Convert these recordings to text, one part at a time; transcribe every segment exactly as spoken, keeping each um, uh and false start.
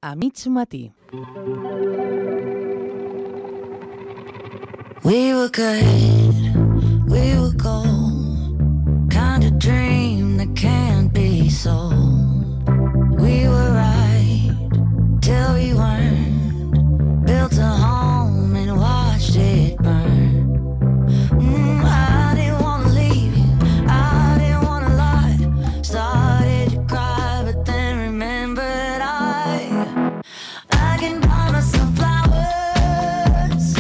a mig matí. We were good, we were gold, kind of dream that can't be sold. We were right till we weren't, built a home and watched it burn. Mm, I didn't want to leave you, I didn't want to lie, started to cry but then remembered I I can buy myself flowers,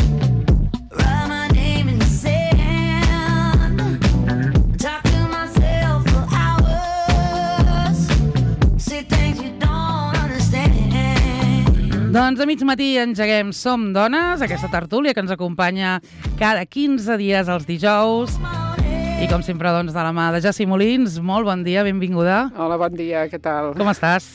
write my name in the sand, talk to myself for hours, say things you don't understand. Doncs a mig matí engeguem Som Dones, aquesta tertúlia que ens acompanya cada quinze dies els dijous. I com sempre, doncs, de la mà de Jessi Molins. Molt bon dia, benvinguda. Hola, bon dia, què tal? Com estàs?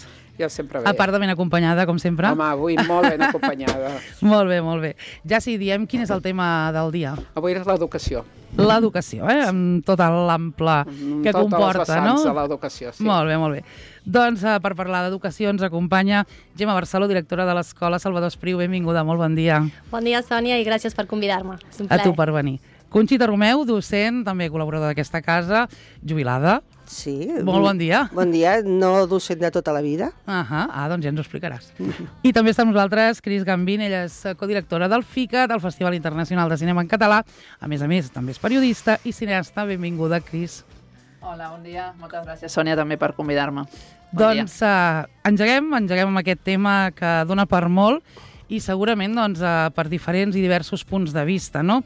Jo sempre bé. A part de ben acompanyada, com sempre. Home, avui molt ben acompanyada. Molt bé, molt bé. Jessi, diem quin és el tema del dia. Avui és l'educació. L'educació, eh? Amb tot l'ample que Totes comporta, les vessants no? de l'educació, sí. Molt bé, molt bé. Doncs eh, per parlar d'educació ens acompanya Gemma Barceló, directora de l'Escola Salvador Espriu. Benvinguda, molt bon dia. Bon dia, Sònia, i gràcies per convidar-me. És un A plaer. tu per venir. Conxita Romeu, docent, també col·laboradora d'aquesta casa, jubilada. Sí. Molt bon dia. Bon dia, no docent de tota la vida. Uh -huh. Ah, doncs ja ens ho explicaràs. I també està amb nosaltres Cris Gambín, ella és codirectora del FICA, del Festival Internacional de Cinema en Català. A més a més, també és periodista i cineasta. Benvinguda, Cris. Hola, bon dia. Moltes gràcies, Sònia, també per convidar-me. Bon Doncs uh, engeguem, engeguem amb aquest tema que dona per molt i segurament doncs, uh, per diferents i diversos punts de vista, no?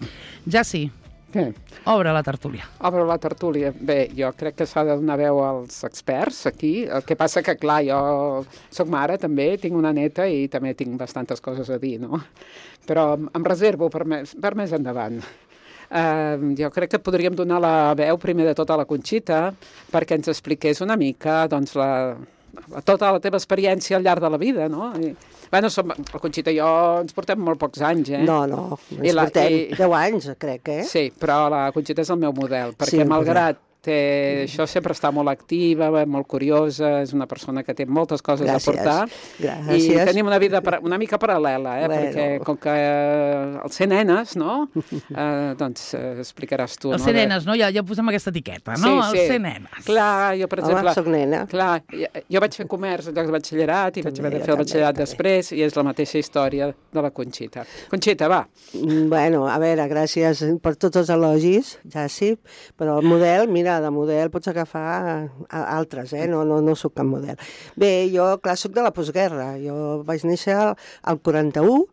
Ja sí, Què? obre la tertúlia. Obre la tertúlia. Bé, jo crec que s'ha de donar veu als experts aquí. El que passa que, clar, jo soc mare també, tinc una neta i també tinc bastantes coses a dir, no? Però em reservo per més, per més endavant. Uh, jo crec que podríem donar la veu primer de tot a la Conxita perquè ens expliqués una mica doncs, la, la, tota la teva experiència al llarg de la vida, no? I, bueno, som, la Conxita i jo ens portem molt pocs anys, eh? No, no, I ens la- portem i- deu anys, crec, eh? Sí, però la Conxita és el meu model, perquè Sí, el malgrat té, això sempre està molt activa, molt curiosa, és una persona que té moltes coses Gràcies. a portar. Gràcies. I tenim una vida para, una mica paral·lela, eh? Bueno. Perquè com que eh, el ser nenes, no? Eh, doncs eh, explicaràs tu. El no? ser De- nenes, no? Ja, ja posem aquesta etiqueta, no? El ser nenes. Clar, jo, per Home, exemple... soc nena. Clar, jo, jo vaig fer comerç en llocs de batxillerat i vaig També, haver de jo fer el també, batxillerat també. després i és la mateixa història de la Conxita. Conxita, va. Mm, Bueno, a veure, gràcies per tots els elogis, ja sí, però el model, mira, de model pots agafar a- altres, eh? No, no, no sóc cap model. Bé, jo, clar, sóc de la postguerra. Jo vaig néixer al- al quaranta-u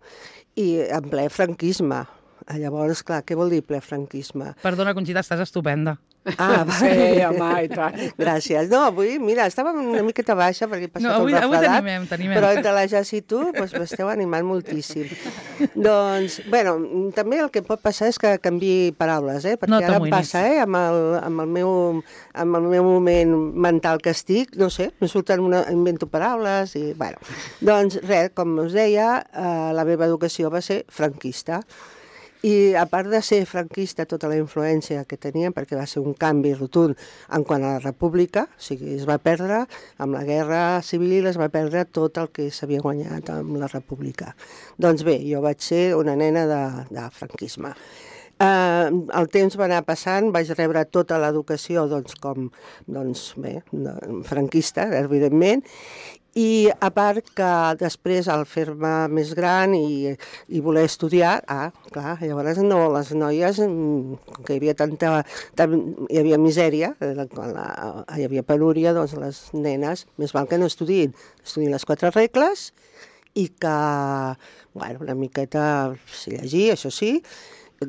i en ple franquisme. Llavors, clar, què vol dir ple franquisme? Perdona, Conxita, estàs estupenda. Ah, Sí, home, i tant. Gràcies. No, avui, mira, estàvem una miqueta baixa perquè he passat No, avui- un avui refredat, t'animem, t'animem. però entre la Jas i tu doncs, m'esteu animant moltíssim. Doncs, bueno, també el que pot passar és que canviï paraules, eh? perquè No ara em t'amoïnis. passa, eh? amb, el, amb, el meu, amb el meu moment mental que estic, no sé, me surten una, invento paraules i, bueno, doncs res, com us deia, eh, la meva educació va ser franquista. I a part de ser franquista, tota la influència que tenia, perquè va ser un canvi rotund en quant a la república, o sigui, es va perdre, amb la guerra civil es va perdre tot el que s'havia guanyat amb la república. Doncs bé, jo vaig ser una nena de, de franquisme. Uh, el temps va anar passant, vaig rebre tota l'educació doncs, com doncs, bé, de, franquista, evidentment, i a part que després al fer-me més gran i, i voler estudiar, ah, clar, llavors no, les noies, mm, com que hi havia tanta, tant, hi havia misèria, eh, quan la, hi havia penúria, doncs les nenes, més val que no estudiïn, estudiïn les quatre regles i que, bueno, una miqueta sí, llegir, això sí,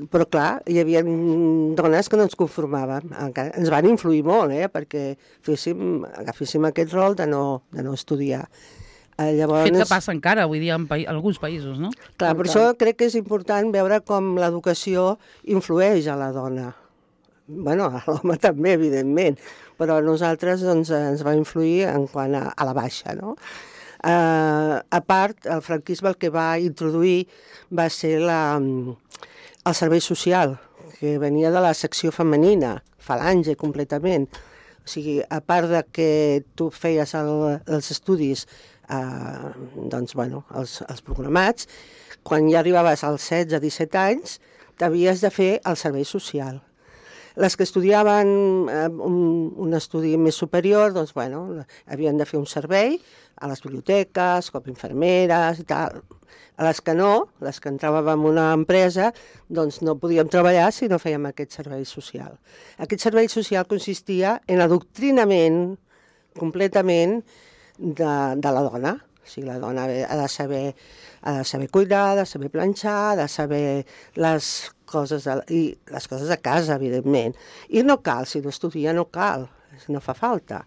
però clar, hi havia dones que no ens conformaven, encara ens van influir molt, eh, perquè féssim, agaféssim aquest rol de no, de no estudiar. Eh, llavors, Fet que passa encara, avui dia, en, pa alguns països, no? clar, per això crec que és important veure com l'educació influeix a la dona. Bueno, a l'home també, evidentment, però a nosaltres doncs, ens va influir en quant a, a la baixa, no? Uh, a part, el franquisme el que va introduir va ser la, el servei social, que venia de la secció femenina, falange completament. O sigui, a part de que tu feies el, els estudis eh, doncs, bueno, els, els programats, quan ja arribaves als setze a disset anys, t'havies de fer el servei social. Les que estudiaven eh, un, un estudi més superior, doncs, bueno, havien de fer un servei a les biblioteques, com infermeres i tal. A les que no, les que entràvem en una empresa, doncs no podíem treballar si no fèiem aquest servei social. Aquest servei social consistia en adoctrinament completament de, de la dona. O sigui, la dona ha de saber, ha de saber cuidar, ha de saber planxar, ha de saber les coses de, i les coses de casa, evidentment. I no cal, si no estudia no cal, no fa falta.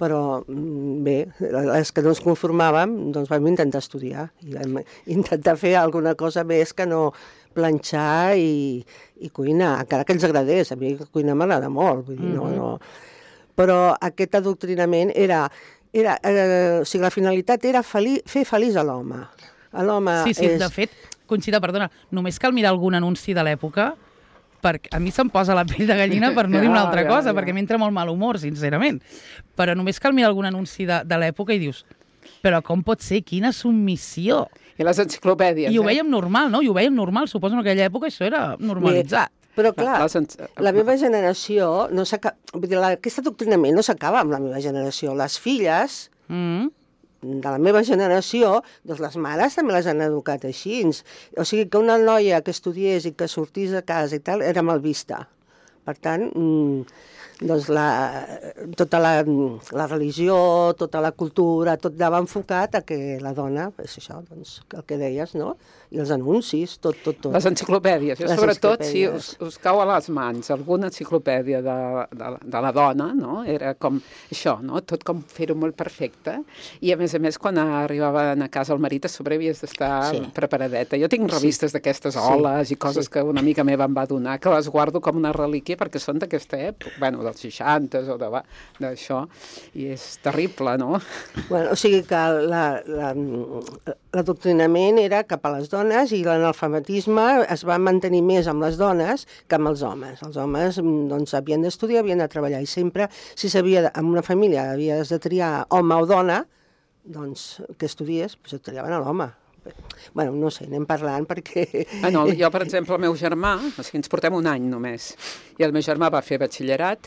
Però bé, les que no ens conformàvem, doncs vam intentar estudiar i vam intentar fer alguna cosa més que no planxar i, i cuinar, encara que ens agradés. A mi cuinar m'agrada molt, vull dir, no, no. Però aquest adoctrinament era... era eh, o sigui, la finalitat era feli fer feliç a l'home. L'home Sí, sí, és... de fet, Conxita, perdona, només cal mirar algun anunci de l'època perquè a mi se'm posa la pell de gallina per no dir una altra Ja, ja, cosa, ja. perquè m'entra molt mal humor, sincerament. Però només cal mirar algun anunci de, de l'època i dius, però com pot ser? Quina submissió! I les enciclopèdies, I ho eh? veiem normal, no? I ho veiem normal, suposo en aquella època això era normalitzat. Però clar, Les en- la meva generació, no s'aca- vull dir, la- aquest adoctrinament no s'acaba amb la meva generació. Les filles Mm. de la meva generació, doncs les mares també les han educat així. O sigui que una noia que estudiés i que sortís de casa i tal era mal vista. Per tant, mm, doncs la, tota la, la religió, tota la cultura, tot anava enfocat a que la dona, és això, doncs, el que deies, no? I els anuncis, tot, tot, tot. Les enciclopèdies. Jo, Les sobretot, si enciclopèdies. us, us cau a les mans alguna enciclopèdia de, de, de la dona, no? Era com això, no? Tot com fer-ho molt perfecte. I, a més a més, quan arribaven a casa el marit, a sobre havies d'estar Sí. preparadeta. Jo tinc revistes d'aquestes Sí. oles i coses Sí. que una amiga meva em va donar, que les guardo com una relíquia perquè són d'aquesta època, bueno, dels seixanta o de- d'això, i és terrible, no? Bueno, o sigui que l'adoctrinament la, la, era cap a les dones i l'analfabetisme es va mantenir més amb les dones que amb els homes. Els homes doncs, havien d'estudiar, havien de treballar i sempre, si s'havia, en una família havies de triar home o dona, doncs que estudies, doncs et triaven a l'home. Bueno, no sé, anem parlant perquè... Ah, no, jo, per exemple, el meu germà, o sigui, ens portem un any només, i el meu germà va fer batxillerat,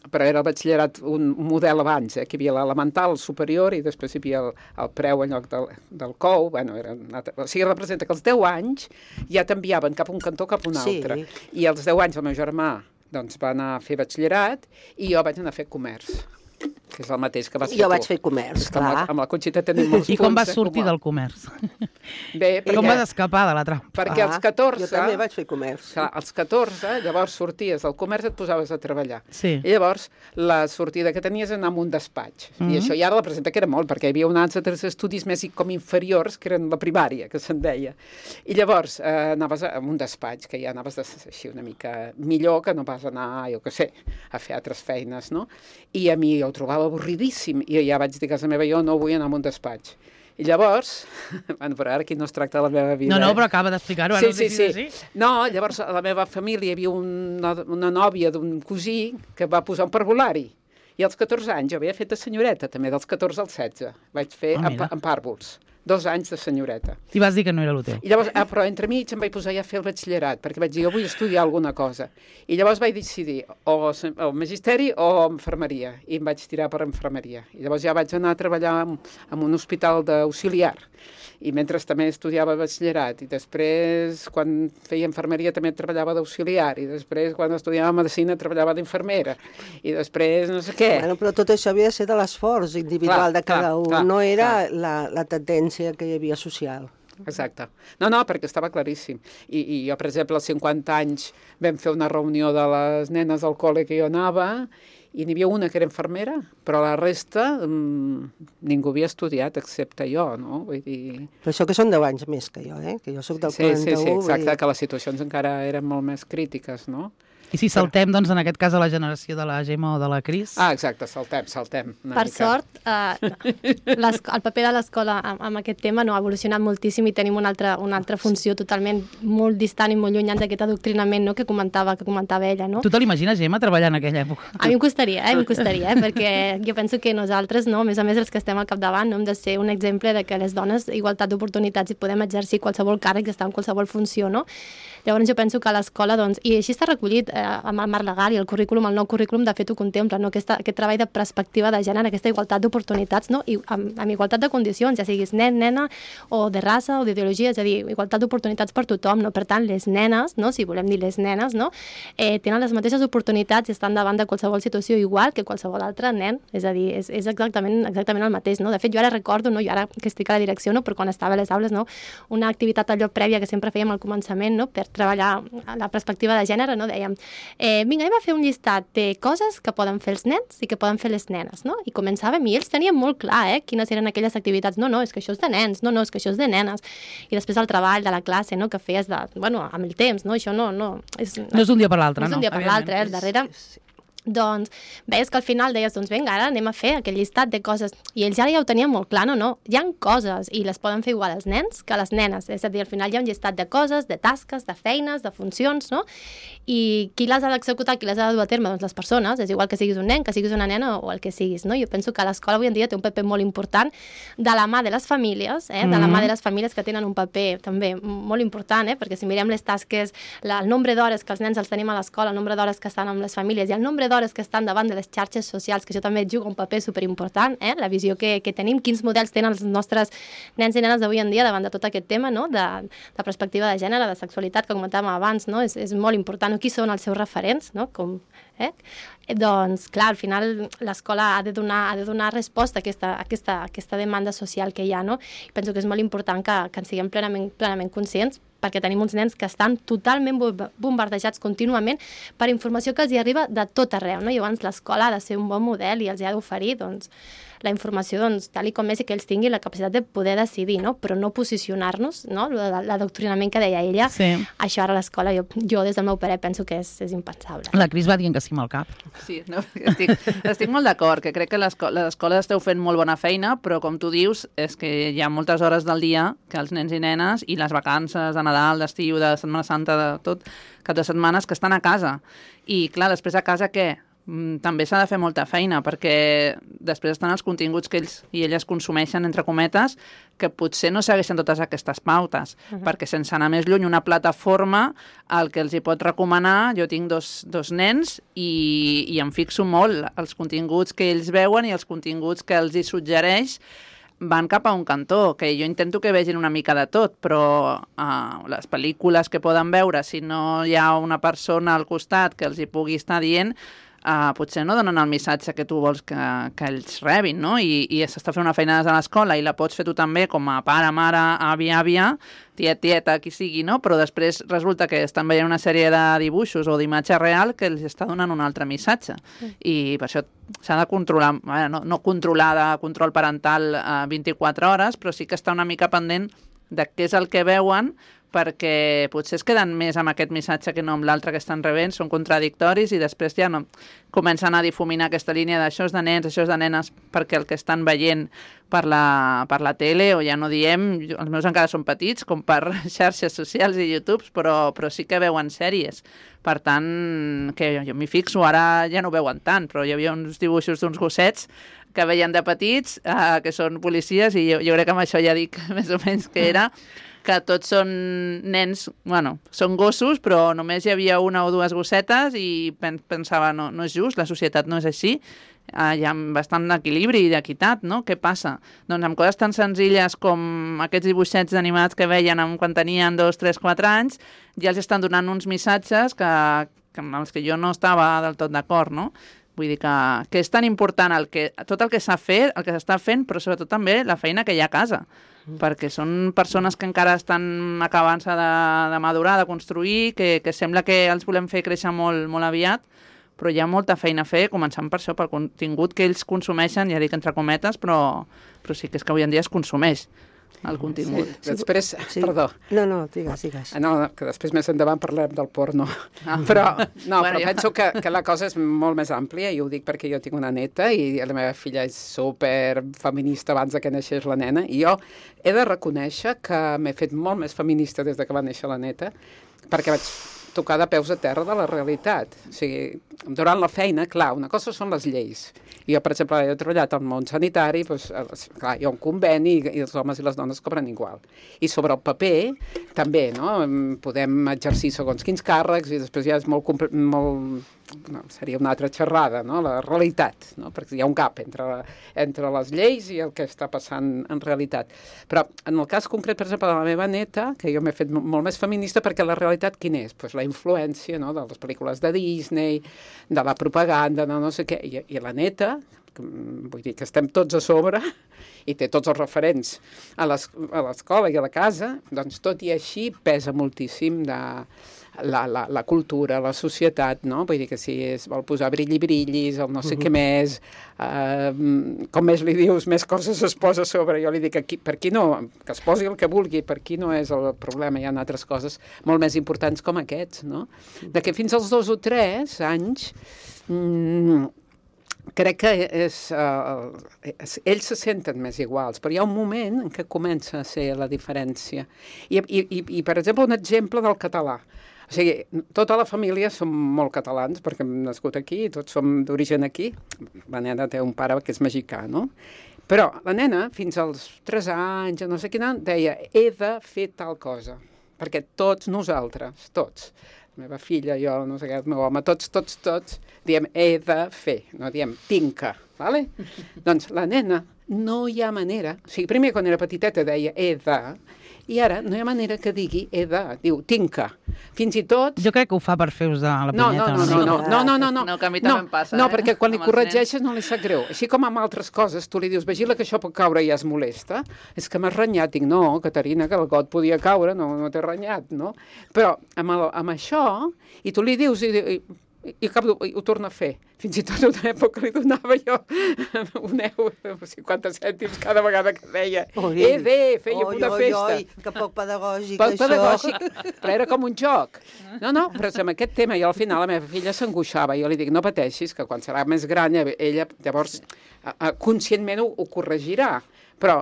però era el batxillerat un model abans, eh, que hi havia l'elemental, el superior, i després hi havia el, el preu en lloc del, del cou, bueno, era una altra... O sigui, representa que als deu anys ja t'enviaven cap a un cantó cap a un Sí. altre. I als deu anys el meu germà doncs, va anar a fer batxillerat i jo vaig anar a fer comerç, que és el mateix que vas fer Jo tu. vaig fer comerç, És que amb la, clar. amb la Conxita tenim molts I com punts vas en sortir comú. del comerç? Bé, I com perquè- vas escapar de la trampa? Perquè als Ah, catorze... Jo també vaig fer comerç. Clar, als catorze, llavors sorties del comerç et posaves a treballar. Sí. I llavors la sortida que tenies era anar a un despatx. Mhm. I això ja representa que era molt, perquè hi havia uns altres estudis més i- com inferiors, que eren la primària, que se'n deia. I llavors eh, anaves a, a un despatx, que ja anaves de, així una mica millor que no pas anar, jo què sé, a fer altres feines, no? I a mi jo ho trobava avorridíssim. I ja vaig dir a casa meva, jo no vull anar a un despatx. I llavors, bueno, però ara aquí no es tracta de la meva vida. No, no, eh? però acaba d'explicar-ho. Sí, ara ho sí, deixis sí. així. No, llavors a la meva família hi havia una, una nòvia d'un cosí que va posar un parvulari. I als catorze anys jo havia fet de senyoreta, també, dels catorze als setze. Vaig fer Ah, en, mira. pa- en pàrvols. Dos anys de senyoreta. I vas dir que no era el teu. I llavors, ah, però entremig em vaig posar ja a fer el batxillerat, perquè vaig dir, jo vull estudiar alguna cosa. I llavors vaig decidir o, se- o magisteri o infermeria, i em vaig tirar per infermeria. I llavors ja vaig anar a treballar en, en un hospital d'auxiliar, i mentre també estudiava batxillerat, i després, quan feia infermeria, també treballava d'auxiliar, i després, quan estudiava medicina, treballava d'infermera, i després, no sé què. Bueno, però tot això havia de ser de l'esforç individual Clar, de cada clar, un, clar, no era clar. la, la tendència que hi havia social. Exacte. No, no, perquè estava claríssim. I, i jo, per exemple, als cinquanta anys vam fer una reunió de les nenes al col·le que jo anava i n'hi havia una que era infermera, però la resta mmm, ningú havia estudiat excepte jo, no? Vull dir... Però això que són deu anys més que jo, eh? Que jo sóc del Sí, sí, quaranta-u. sí, exacte, vull dir- que les situacions encara eren molt més crítiques, no? I si saltem, doncs, en aquest cas, a la generació de la Gemma o de la Cris? Ah, exacte, saltem, saltem. Per sort, eh, el paper de l'escola amb, amb aquest tema no ha evolucionat moltíssim i tenim una altra, una altra funció totalment molt distant i molt llunyant d'aquest adoctrinament, no?, que comentava, que comentava ella, no? Tu te l'imagines, Gemma, treballant en aquella època? A mi em costaria, eh? Em costaria, eh? Perquè jo penso que nosaltres, no?, a més a més els que estem al capdavant, no hem de ser un exemple de que les dones, igualtat d'oportunitats, i podem exercir qualsevol càrrec i estar en qualsevol funció, no? Llavors jo penso que a l'escola, doncs, i així està recollit eh, amb el marc legal i el currículum, el nou currículum de fet ho contempla, no? Aquesta, aquest treball de perspectiva de gènere, aquesta igualtat d'oportunitats, no? I amb, amb igualtat de condicions, ja siguis nen, nena, o de raça, o d'ideologia, és a dir, igualtat d'oportunitats per tothom, no? Per tant, les nenes, no?, si volem dir les nenes, no?, eh, tenen les mateixes oportunitats i estan davant de qualsevol situació igual que qualsevol altre nen, és a dir, és, és exactament, exactament el mateix, no? De fet, jo ara recordo, no?, jo ara que estic a la direcció, no?, però quan estava a les aules, no?, una activitat allò prèvia que sempre fèiem al començament, no?, per treballar la perspectiva de gènere, no?, dèiem, eh, vinga, anem a fer un llistat de coses que poden fer els nens i que poden fer les nenes, no? I començàvem i ells tenien molt clar, eh, quines eren aquelles activitats. No, no, és que això és de nens, no, no, és que això és de nenes. I després el treball de la classe, no?, que feies de, bueno, amb el temps, no? Això no, no... És, no és un dia per l'altre, no? No és un dia per l'altre, eh? Al darrere... Doncs veies que al final deies, doncs vinga, ara anem a fer aquell llistat de coses. I ells ara ja ho tenien molt clar, no, no, hi ha coses i les poden fer igual els nens que les nenes. És a dir, al final hi ha un llistat de coses, de tasques, de feines, de funcions, no? I qui les ha d'executar, qui les ha de dur a terme? Doncs les persones, és igual que siguis un nen, que siguis una nena o el que siguis, no? Jo penso que l'escola avui en dia té un paper molt important de la mà de les famílies, eh? De la mà de les famílies que tenen un paper també molt important, eh? Perquè si mirem les tasques, la, el nombre d'hores que els nens els tenim a l'escola, el nombre d'hores que estan amb les famílies i el nombre d'hores que estan davant de les xarxes socials, que això també juga un paper superimportant, eh? La visió que, que tenim, quins models tenen els nostres nens i nenes d'avui en dia davant de tot aquest tema, no?, de, de perspectiva de gènere, de sexualitat, que comentàvem abans, no? És, és molt important. Qui són els seus referents, no? Com, eh? Doncs, clar, al final l'escola ha de donar, ha de donar resposta a aquesta, a aquesta, a aquesta demanda social que hi ha, no? I penso que és molt important que, que en siguem plenament, plenament conscients, perquè tenim uns nens que estan totalment bombardejats contínuament per informació que els hi arriba de tot arreu, no? I llavors l'escola ha de ser un bon model i els hi ha d'oferir, doncs, la informació, doncs, tal i com és i que ells tinguin la capacitat de poder decidir, no? Però no posicionar-nos, no? L'adoctrinament que deia ella, sí. Això ara a l'escola, jo, jo des del meu parer penso que és, és impensable. La Cris va dient que sí amb el cap. Sí, no, estic, estic molt d'acord, que crec que les escoles esteu fent molt bona feina, però com tu dius, és que hi ha moltes hores del dia que els nens i nenes i les vacances de Nadal, d'estiu, de Setmana Santa, de tot, cap de setmanes que estan a casa. I clar, després a casa què? També s'ha de fer molta feina, perquè després estan els continguts que ells i elles consumeixen, entre cometes, que potser no segueixen totes aquestes pautes, uh -huh. perquè sense anar més lluny, una plataforma, el que els hi pot recomanar, jo tinc dos, dos nens i, i em fixo molt els continguts que ells veuen i els continguts que els hi suggereix van cap a un cantó, que jo intento que vegin una mica de tot, però uh, les pel·lícules que poden veure, si no hi ha una persona al costat que els hi pugui estar dient, Uh, potser no donen el missatge que tu vols que, que ells rebin, no? I, i s'està fent una feina des de l'escola i la pots fer tu també com a pare, mare, avi, àvia, tiet, tieta, qui sigui, no? Però després resulta que estan veient una sèrie de dibuixos o d'imatge real que els està donant un altre missatge. Mm. I per això s'ha de controlar, bueno, no, no controlar de control parental uh, vint-i-quatre hores, però sí que està una mica pendent de què és el que veuen, perquè potser es queden més amb aquest missatge que no amb l'altre que estan rebent, són contradictoris i després ja no comencen a difuminar aquesta línia d'això és de nens, això és de nenes, perquè el que estan veient per la, per la tele, o ja no diem, els meus encara són petits, com per xarxes socials i YouTube, però, però sí que veuen sèries. Per tant, que jo m'hi fixo, ara ja no ho veuen tant, però hi havia uns dibuixos d'uns gossets que veien de petits, eh, que són policies, i jo, jo crec que amb això ja dic més o menys que era que tots són nens, bueno, són gossos, però només hi havia una o dues gossetes i pensava, no, no és just, la societat no és així, uh, hi ha bastant equilibri i d'equitat, no? Què passa? Doncs amb coses tan senzilles com aquests dibuixets animats que veien quan tenien dos, tres, quatre anys, ja els estan donant uns missatges que, que amb els que jo no estava del tot d'acord, no? Vull dir que, que és tan important el que, tot el que s'ha fet, el que s'està fent, però sobretot també la feina que hi ha a casa, mm. perquè són persones que encara estan acabant-se de, de madurar, de construir, que, que sembla que els volem fer créixer molt, molt aviat, però hi ha molta feina a fer, començant per això, pel contingut que ells consumeixen, ja dic entre cometes, però, però sí que és que avui en dia es consumeix. el contingut. Sí, després, Sí. perdó, No, no, digues, digues. Ah, no, que després més endavant parlem del porno. Ah. Però, no, Bueno, però ja. penso que, que la cosa és molt més àmplia, i ho dic perquè jo tinc una neta i la meva filla és super feminista abans de que naixés la nena, i jo he de reconèixer que m'he fet molt més feminista des de que va néixer la neta, perquè vaig tocar de peus a terra de la realitat. O sigui, durant la feina, clar, una cosa són les lleis. Jo, per exemple, he treballat al món sanitari, doncs, clar, hi ha un conveni i, i els homes i les dones cobren igual. I sobre el paper, també, no? Podem exercir segons quins càrrecs i després ja és molt... molt no, seria una altra xerrada, no? La realitat, no? Perquè hi ha un gap entre, entre les lleis i el que està passant en realitat. Però en el cas concret, per exemple, de la meva neta, que jo m'he fet molt més feminista, perquè la realitat quina és? Pues la influència, no? De les pel·lícules de Disney, de la propaganda, no, no sé què, i, i la neta, vull dir que estem tots a sobre i té tots els referents a l'escola i a la casa, doncs tot i així pesa moltíssim de la, la, la cultura, la societat, no? Vull dir que si es vol posar brilli-brillis, el no sé uh-huh. què més, uh, com més li dius, més coses es posa a sobre. Jo li dic, aquí, per aquí no, que es posi el que vulgui, per aquí no és el problema, hi ha altres coses molt més importants com aquests, no? De que fins als dos o tres anys... Mm, crec que és, uh, és, ells se senten més iguals, però hi ha un moment en què comença a ser la diferència. I, i, i, i per exemple, un exemple del català. O sigui, tota la família som molt catalans, perquè hem nascut aquí, tots som d'origen aquí. La nena té un pare que és mexicà, no? Però la nena, fins als tres anys, no sé quin any, deia, he de fer tal cosa, perquè tots nosaltres, tots, la meva filla, jo, no sé què, el meu home, tots, tots, tots, diem he de fer, no diem tinc que, vale? Doncs la nena no hi ha manera, o sigui, primer quan era petiteta deia he de, i ara no hi ha manera que digui he de, diu tinc que. Fins i tot... Jo crec que ho fa per fer-vos de la No, punyeta. no, no, no, no, no, no, no, no. No, que a mi també em passa, No, eh? perquè quan li Amb els corregeixes no li sap greu. Així com amb altres coses, tu li dius, vigila que això pot caure i ja es molesta. És que m'has renyat. Dic, no, Caterina, que el got podia caure, no, no t'he renyat, no? Però amb, el, amb això, i tu li dius, i, i, i, cap, i ho torna a fer. Fins i tot una època li donava jo un euro, cinquanta cèntims cada vegada que deia Oi. he de, feia Oi, una oi, festa. Oi, que poc pedagògic, Poc això. pedagògic, però era com un joc. No, no, però amb aquest tema, jo al final la meva filla s'angoixava. Jo li dic, no pateixis, que quan serà més gran ella llavors conscientment ho, ho corregirà. Però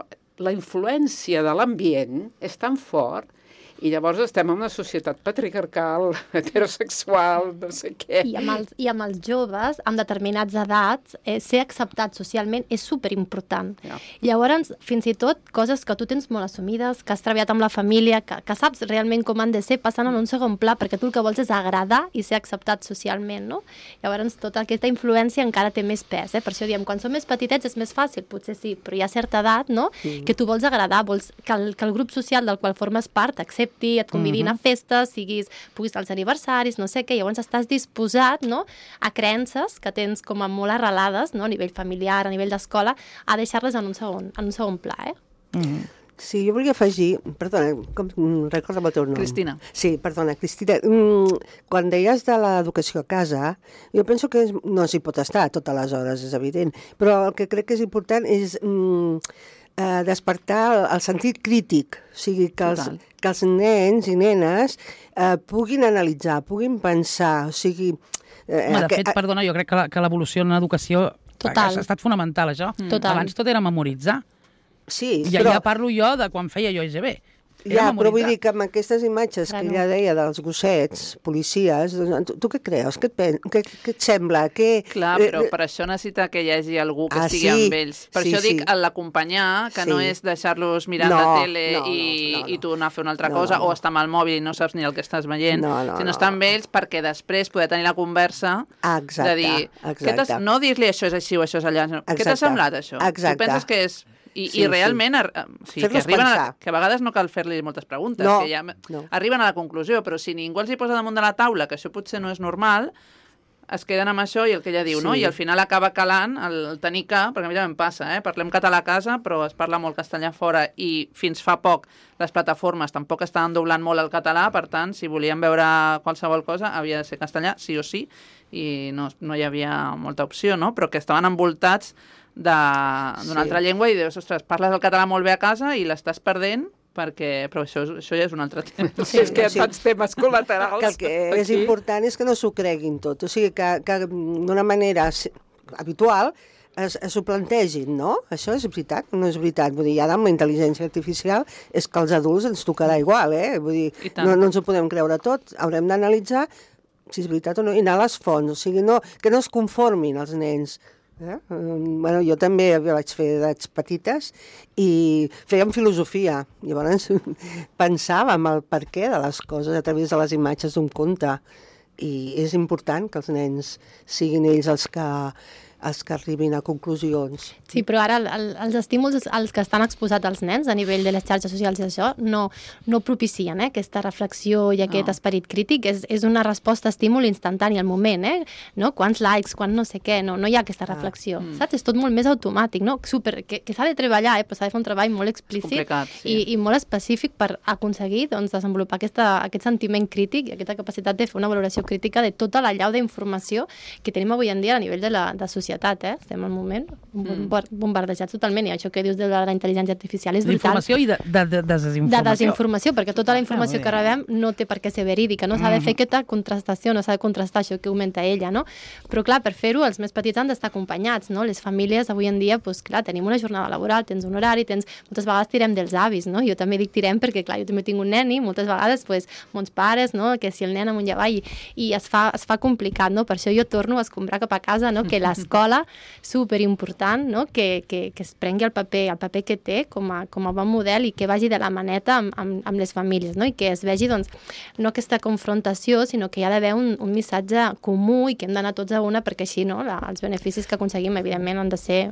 la influència de l'ambient és tan fort i llavors estem en una societat patriarcal, heterosexual, no sé què. I amb els, i amb els joves, amb determinats edats, eh, ser acceptat socialment és superimportant. Ja. Llavors, fins i tot, coses que tu tens molt assumides, que has treballat amb la família, que, que saps realment com han de ser, passen en un segon pla, perquè tu el que vols és agradar i ser acceptat socialment, no? Llavors, tota aquesta influència encara té més pes, eh? Per això diem, quan som més petitets és més fàcil, potser sí, però hi ha certa edat, no?, mm. que tu vols agradar, vols que el, que el grup social del qual formes part accepti, et convidi uh-huh. a festes, siguis, puguis als aniversaris, no sé què, llavors estàs disposat, no?, a creences que tens com a molt arrelades, no?, a nivell familiar, a nivell d'escola, a deixar-les en un segon, en un segon pla, eh? Mm. Sí, jo volia afegir... Perdona, com, recorda'm el teu nom. Cristina. Sí, perdona, Cristina. Mm, quan deies de l'educació a casa, jo penso que és, no s'hi pot estar a totes les hores, és evident, però el que crec que és important és mm, eh, despertar el, el sentit crític, o sigui, que els, que els nens i nenes eh, puguin analitzar, puguin pensar, o sigui... Eh, Home, de que, fet, perdona, jo crec que la- que l'evolució en l'educació Total. ha estat fonamental, això. Total. Abans tot era memoritzar. Sí, Ja, però... ja parlo jo de quan feia jo I G B. Ja, però vull dir que amb aquestes imatges Claro. que ja deia dels gossets, policies, doncs, tu, tu què creus? Què et, pen... què, què et sembla? Què... Clar, però per això necessita que hi hagi algú que Ah, estigui sí? amb ells. Per Sí, això dic sí. l'acompanyar, que Sí. no és deixar-los mirant No, la tele no, no, i, no, no. i tu anar a fer una altra No, cosa, no, no. o estar amb el mòbil i no saps ni el que estàs veient, No, no, sinó no. estar amb ells perquè després poder tenir la conversa Exacte, de dir, exacte. què t'has- no dir-li això és així o això és allà, sinó, què t'ha Exacte. semblat això? Exacte. Tu penses que és... I, Sí, i realment, ar- o sigui, que, Fer-los arriben a, pensar. que a vegades no cal fer-li moltes preguntes, No, que ja no. arriben a la conclusió, però si ningú els hi posa damunt de la taula que això potser no és normal, es queden amb això i el que ella diu, Sí. no? I al final acaba calant el, el tenir que, perquè a mi també em passa, eh? Parlem català a casa, però es parla molt castellà fora i fins fa poc les plataformes tampoc estaven doblant molt el català, per tant, si volíem veure qualsevol cosa havia de ser castellà, sí o sí, i no, no hi havia molta opció, no? Però que estaven envoltats d'una Sí. altra llengua i dius, ostres, parles el català molt bé a casa i l'estàs perdent, perquè... però això, això ja és un altre tema. Sí, és que hi ha Sí. tants temes col·laterals. Que el que és aquí. important és que no s'ho creguin tot. O sigui, que, que d'una manera si- habitual es, es ho plantegin, no? Això és veritat, no és veritat. Vull dir, ara amb la intel·ligència artificial és que als adults ens tocarà igual, eh? Vull dir, I tant. no, no ens ho podem creure tot. Haurem d'analitzar si és veritat o no, i anar a les fonts. O sigui, no, que no es conformin els nens. Eh? Um, bueno, jo també vaig fer edats petites i fèiem filosofia. Llavors pensàvem el perquè de les coses a través de les imatges d'un conte. I és important que els nens siguin ells els que, els que arribin a conclusions. Sí, però ara el, el, els estímuls als que estan exposats els nens a nivell de les xarxes socials i això no, no propicien eh, aquesta reflexió i aquest No. esperit crític. És, és una resposta a estímul instantani al moment, eh? No? Quants likes, quan no sé què, no, no hi ha aquesta reflexió, Mm. saps? És tot molt més automàtic, no? Super, que, que s'ha de treballar, eh? Però s'ha de fer un treball molt explícit complicat, sí. i, i molt específic per aconseguir doncs, desenvolupar aquesta, aquest sentiment crític i aquesta capacitat de fer una valoració crítica de tota la llau d'informació que tenim avui en dia a nivell de la de societat, eh? Estem al moment bombar- bombardejats totalment, i això que dius de la, la intel·ligència artificial és brutal. D'informació i de, de, de De desinformació. desinformació, perquè tota la informació Ah, que rebem no té per què ser verídica, no s'ha de fer aquesta contrastació, no s'ha de contrastar això que augmenta ella, no? Però clar, per fer-ho els més petits han d'estar acompanyats, no? Les famílies avui en dia, doncs clar, tenim una jornada laboral, tens un horari, tens... moltes vegades tirem dels avis, no? Jo també dic tirem perquè clar, jo també tinc un nen i moltes vegades doncs, mons pares, no? Que si el nen amunt i avall i, i es, fa, es fa complicat, no? Per això jo torno a escombrar cap a casa, no? Que l'escola, superimportant, no? Que, que, que es prengui el paper, el paper que té com a, com a bon model i que vagi de la maneta amb, amb, amb les famílies, no? I que es vegi, doncs, no aquesta confrontació, sinó que hi ha d'haver un, un missatge comú i que hem d'anar tots a una perquè així, no? La, els beneficis que aconseguim, evidentment, han de ser...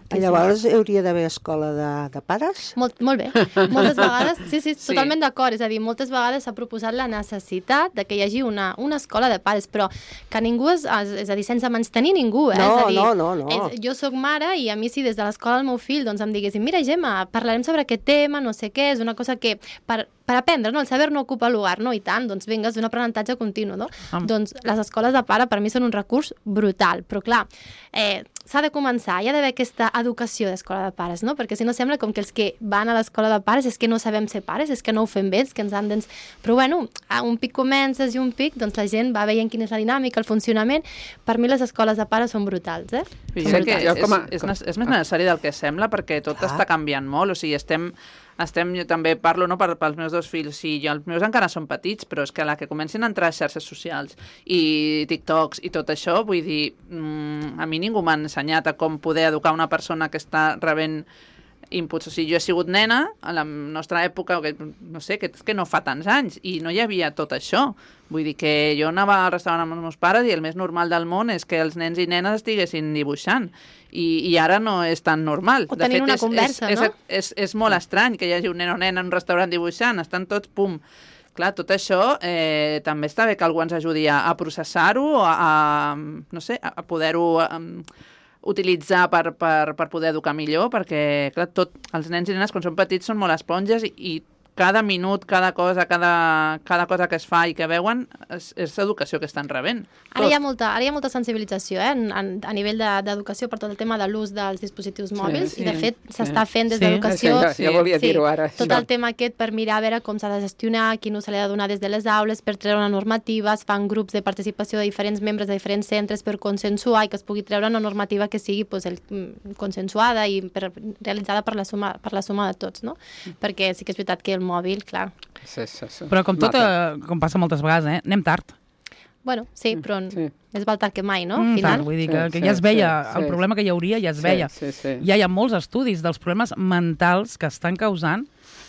Llavors hi hauria d'haver escola de, de pares? Molt, molt bé. Moltes vegades, sí, sí, Sí. totalment d'acord. És a dir, moltes vegades s'ha proposat la necessitat de que hi hagi una, una escola de pares, però que ningú, és, és a dir, sense menystenir ningú, eh? No, és a dir, no, no, no. És, jo sóc mare i a mi si des de l'escola del meu fill doncs em diguessin, mira Gemma, parlarem sobre aquest tema, no sé què, és una cosa que per, per aprendre, no? El saber no ocupa lugar, no? I tant, doncs vinga, és un aprenentatge continu, no? Am. Doncs les escoles de pare per mi són un recurs brutal, però clar, eh, s'ha de començar, hi ha d'haver aquesta educació d'escola de pares, no? Perquè si no sembla com que els que van a l'escola de pares és que no sabem ser pares, és que no ho fem bé, és que ens han d'ens... Però bueno, a un pic comences i un pic, doncs la gent va veient quina és la dinàmica, el funcionament. Per mi les escoles de pares són brutals, eh? Jo Sí, crec que jo és, com a- és, és, és més necessari del que sembla perquè tot Clar. està canviant molt, o sigui, estem, estem jo també parlo no, per, pels meus dos fills, sí, jo, els meus encara són petits, però és que a la que comencin a entrar a xarxes socials i TikToks i tot això, vull dir, mm, a mi ningú m'ha ensenyat a com poder educar una persona que està rebent inputs. O sigui, jo he sigut nena a la nostra època, que, no sé, que, que no fa tants anys, i no hi havia tot això. Vull dir que jo anava al restaurant amb els meus pares i el més normal del món és que els nens i nenes estiguessin dibuixant. I, i ara no és tan normal. O tenint una és, conversa, és, no? És, és, és molt estrany que hi hagi un nen o nena en un restaurant dibuixant, estan tots, pum. Clar, tot això eh, també està bé que algú ens ajudi a, a processar-ho, a, a, no sé, a poder-ho um, utilitzar per, per, per poder educar millor, perquè clar, tot, els nens i nenes quan són petits són molt esponges i, i cada minut, cada cosa, cada, cada cosa que es fa i que veuen és, és educació que estan rebent. Ara hi ha molta, ara hi ha molta sensibilització eh, en, en, a nivell de- d'educació per tot el tema de l'ús dels dispositius mòbils sí, i de fet sí. s'està fent des Sí. d'educació Sí, ja, ja volia dir-ho ara. tot això. el tema aquest per mirar a veure com s'ha de gestionar, quin ús se li ha de donar des de les aules, per treure una normativa, es fan grups de participació de diferents membres de diferents centres per consensuar i que es pugui treure una normativa que sigui pues, el, mm, consensuada i per, realitzada per la, suma, per la suma de tots, no? Perquè sí que és veritat que el mòbil, clar... Sí, sí, sí. Però com tot, Mata. eh, com passa moltes vegades, eh? Anem tard. Bueno, sí, però Sí. més val tard que mai, no? Al Mm, final... tard, vull dir que, Sí, que sí, ja es veia, sí, el sí. problema que hi hauria ja es veia. Sí, sí, sí. Ja hi ha molts estudis dels problemes mentals que estan causant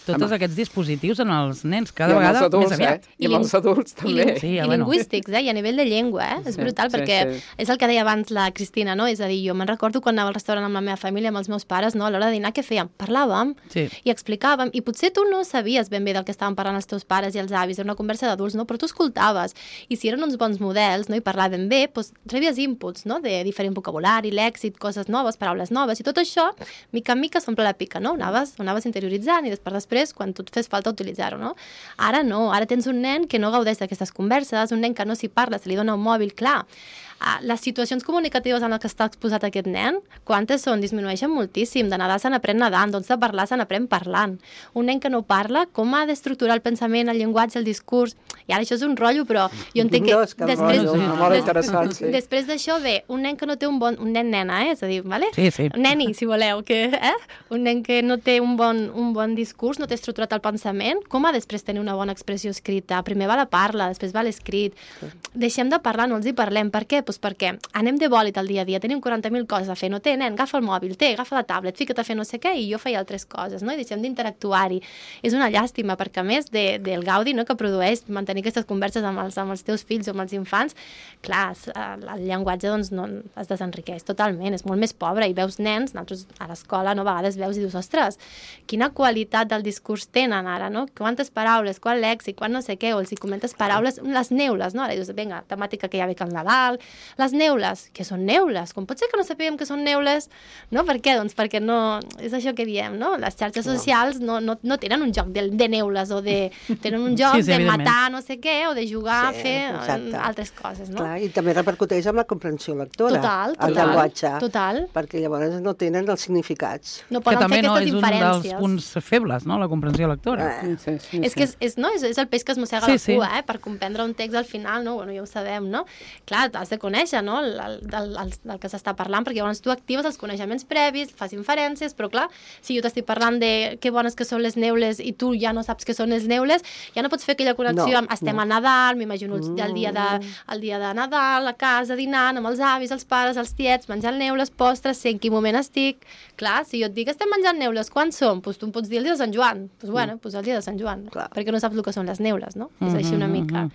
tots Home. aquests dispositius en els nens, cada I amb vegada els adults, més aviat. Eh? I amb els adults I, també. ling Sí, i ja, bueno. lingüístics, eh? I a nivell de llengua, eh? És Sí, brutal sí, perquè sí. és el que deia abans la Cristina, no? És a dir, jo me'n recordo quan anava al restaurant amb la meva família, amb els meus pares, no? A l'hora de dinar, què fèiem? Parlàvem Sí. i explicàvem, i potser tu no sabies ben bé del que estaven parlant els teus pares i els avis, era una conversa d'adults, no? Però tu escoltaves, i si eren uns bons models, no? I parlaven bé, doncs rebies inputs, no? De diferent vocabulari, lèxic, coses noves, paraules noves, i tot això, mica en mica s'omple la pica, no? Ho anaves, ho anaves interioritzant i després per després, quan tu et fes falta utilitzar-ho, no? Ara no, ara tens un nen que no gaudeix d'aquestes converses, un nen que no s'hi parla, se li dona un mòbil, clar. Uh, les situacions comunicatives en les que està exposat aquest nen, quantes són? Disminueixen moltíssim. De nedar se n'aprèn nedant, doncs de parlar se n'aprèn parlant. Un nen que no parla, com ha d'estructurar el pensament, el llenguatge, el discurs? I ara això és un rotllo, però jo entenc que... No, és que després, rotllo, sí, molt interessant, sí. Després d'això ve un nen que no té un bon... Un nen nena, eh? És a dir, vale? Sí, sí. Un neni, si voleu, que, eh? Un nen que no té un bon, un bon discurs, no té estructurat el pensament, com ha després tenir una bona expressió escrita? Primer va la parla, després va l'escrit. Deixem de parlar, no els hi parlem. Per què? Pues perquè anem de bòlit al dia a dia, tenim quaranta mil coses a fer, no té, nen, agafa el mòbil, té, agafa la tablet, fica't a fer no sé què, i jo feia altres coses, no? I deixem d'interactuar-hi. És una llàstima, perquè a més de, del gaudi, no?, que produeix mantenir aquestes converses amb els, amb els teus fills o amb els infants, clar, el llenguatge doncs, no, es desenriqueix totalment, és molt més pobre, i veus nens, nosaltres a l'escola no, a vegades veus i dius, ostres, quina qualitat del discurs tenen ara, no? Quantes paraules, quant lèxic, quan no sé què, o els hi comentes paraules, les neules, no? Ara dius, vinga, temàtica que ja ve que el Nadal, les neules, què són neules? Com pot ser que no sapiguem què són neules? No? Per què? Doncs perquè no... És això que diem, no? Les xarxes socials no, no, no tenen un joc de, de neules o de... Tenen un joc sí, sí, de matar no sé què o de jugar Sí, a fer exacte. altres coses, no? Clar, i també repercuteix amb la comprensió lectora. Total, El total, llenguatge. total. Perquè llavors no tenen els significats. No Que poden també fer no aquestes és un dels inferències. punts febles, no?, la comprensió lectora. Eh. Sí, sí, És que és, és, no, és, és el peix que es mossega Sí, la sí. cua, eh? Per comprendre un text al final, no? Bueno, ja ho sabem, no? Clar, has de conèixer, no?, el, el, el, el, del que s'està parlant, perquè llavors tu actives els coneixements previs, fas inferències, però clar, si jo t'estic parlant de que bones que són les neules i tu ja no saps què són les neules, ja no pots fer aquella connexió No, amb estem no. a Nadal, m'imagino el, el, dia de, el dia de Nadal, a casa, dinant amb els avis, els pares, els tiets, menjant neules, postres, sé en quin moment estic. Clar, si jo et dic estem menjant neules, quan som? Pues tu em pots dir el dia de Sant Joan. Pues bueno, pues el dia de Sant Joan, Clar. perquè no saps el que són les neules, no? És així una mica.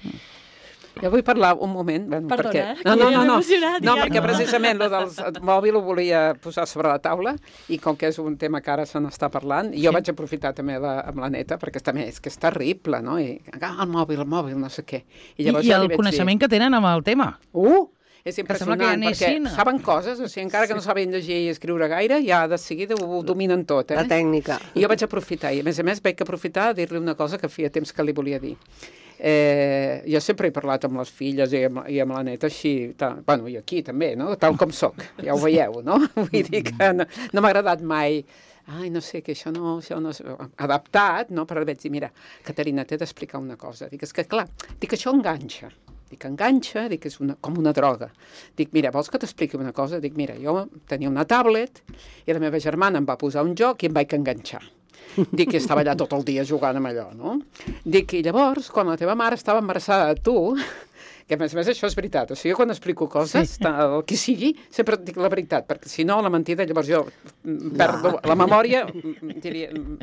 Jo vull parlar un moment, bueno, Perdona, perquè... eh, No, que no, ja no, m'he no, emocionat, no, ja. perquè precisament lo del mòbil ho volia posar sobre la taula i com que és un tema que ara se n'està parlant, jo vaig aprofitar també la, amb la neta, perquè també és que és terrible, no? I agafa el mòbil, el mòbil, no sé què. I, llavors i jo li el vaig coneixement que tenen amb el tema. Dir, uh! És Que sembla que ja impressionant, perquè neixin. saben coses, o sigui, encara que no saben llegir i escriure gaire, ja de seguida ho dominen tot, eh? La tècnica. I jo vaig aprofitar, i a més a més vaig aprofitar a dir-li una cosa que feia temps que li volia dir. Eh, jo sempre he parlat amb les filles i amb, i amb la neta així, ta, bueno, i aquí també, no? Tal com sóc, ja ho veieu, no? Vull dir que no, no m'ha agradat mai ai, no sé, que això no, això no és adaptat, no? Però vaig dir, mira, Caterina, t'he d'explicar una cosa. Dic, és que clar, dic, això enganxa. Dic, enganxa, dic, és una, com una droga. Dic, mira, vols que t'expliqui una cosa? Dic, mira, jo tenia una tablet i la meva germana em va posar un joc i em vaig enganxar. Dic que estava allà tot el dia jugant amb allò, no? Dic, i llavors, quan la teva mare estava embarassada de tu, que a més a més això és veritat, o sigui, quan explico coses, sí. el que sigui, sempre dic la veritat, perquè si no, la mentida, llavors jo perdo no. la memòria,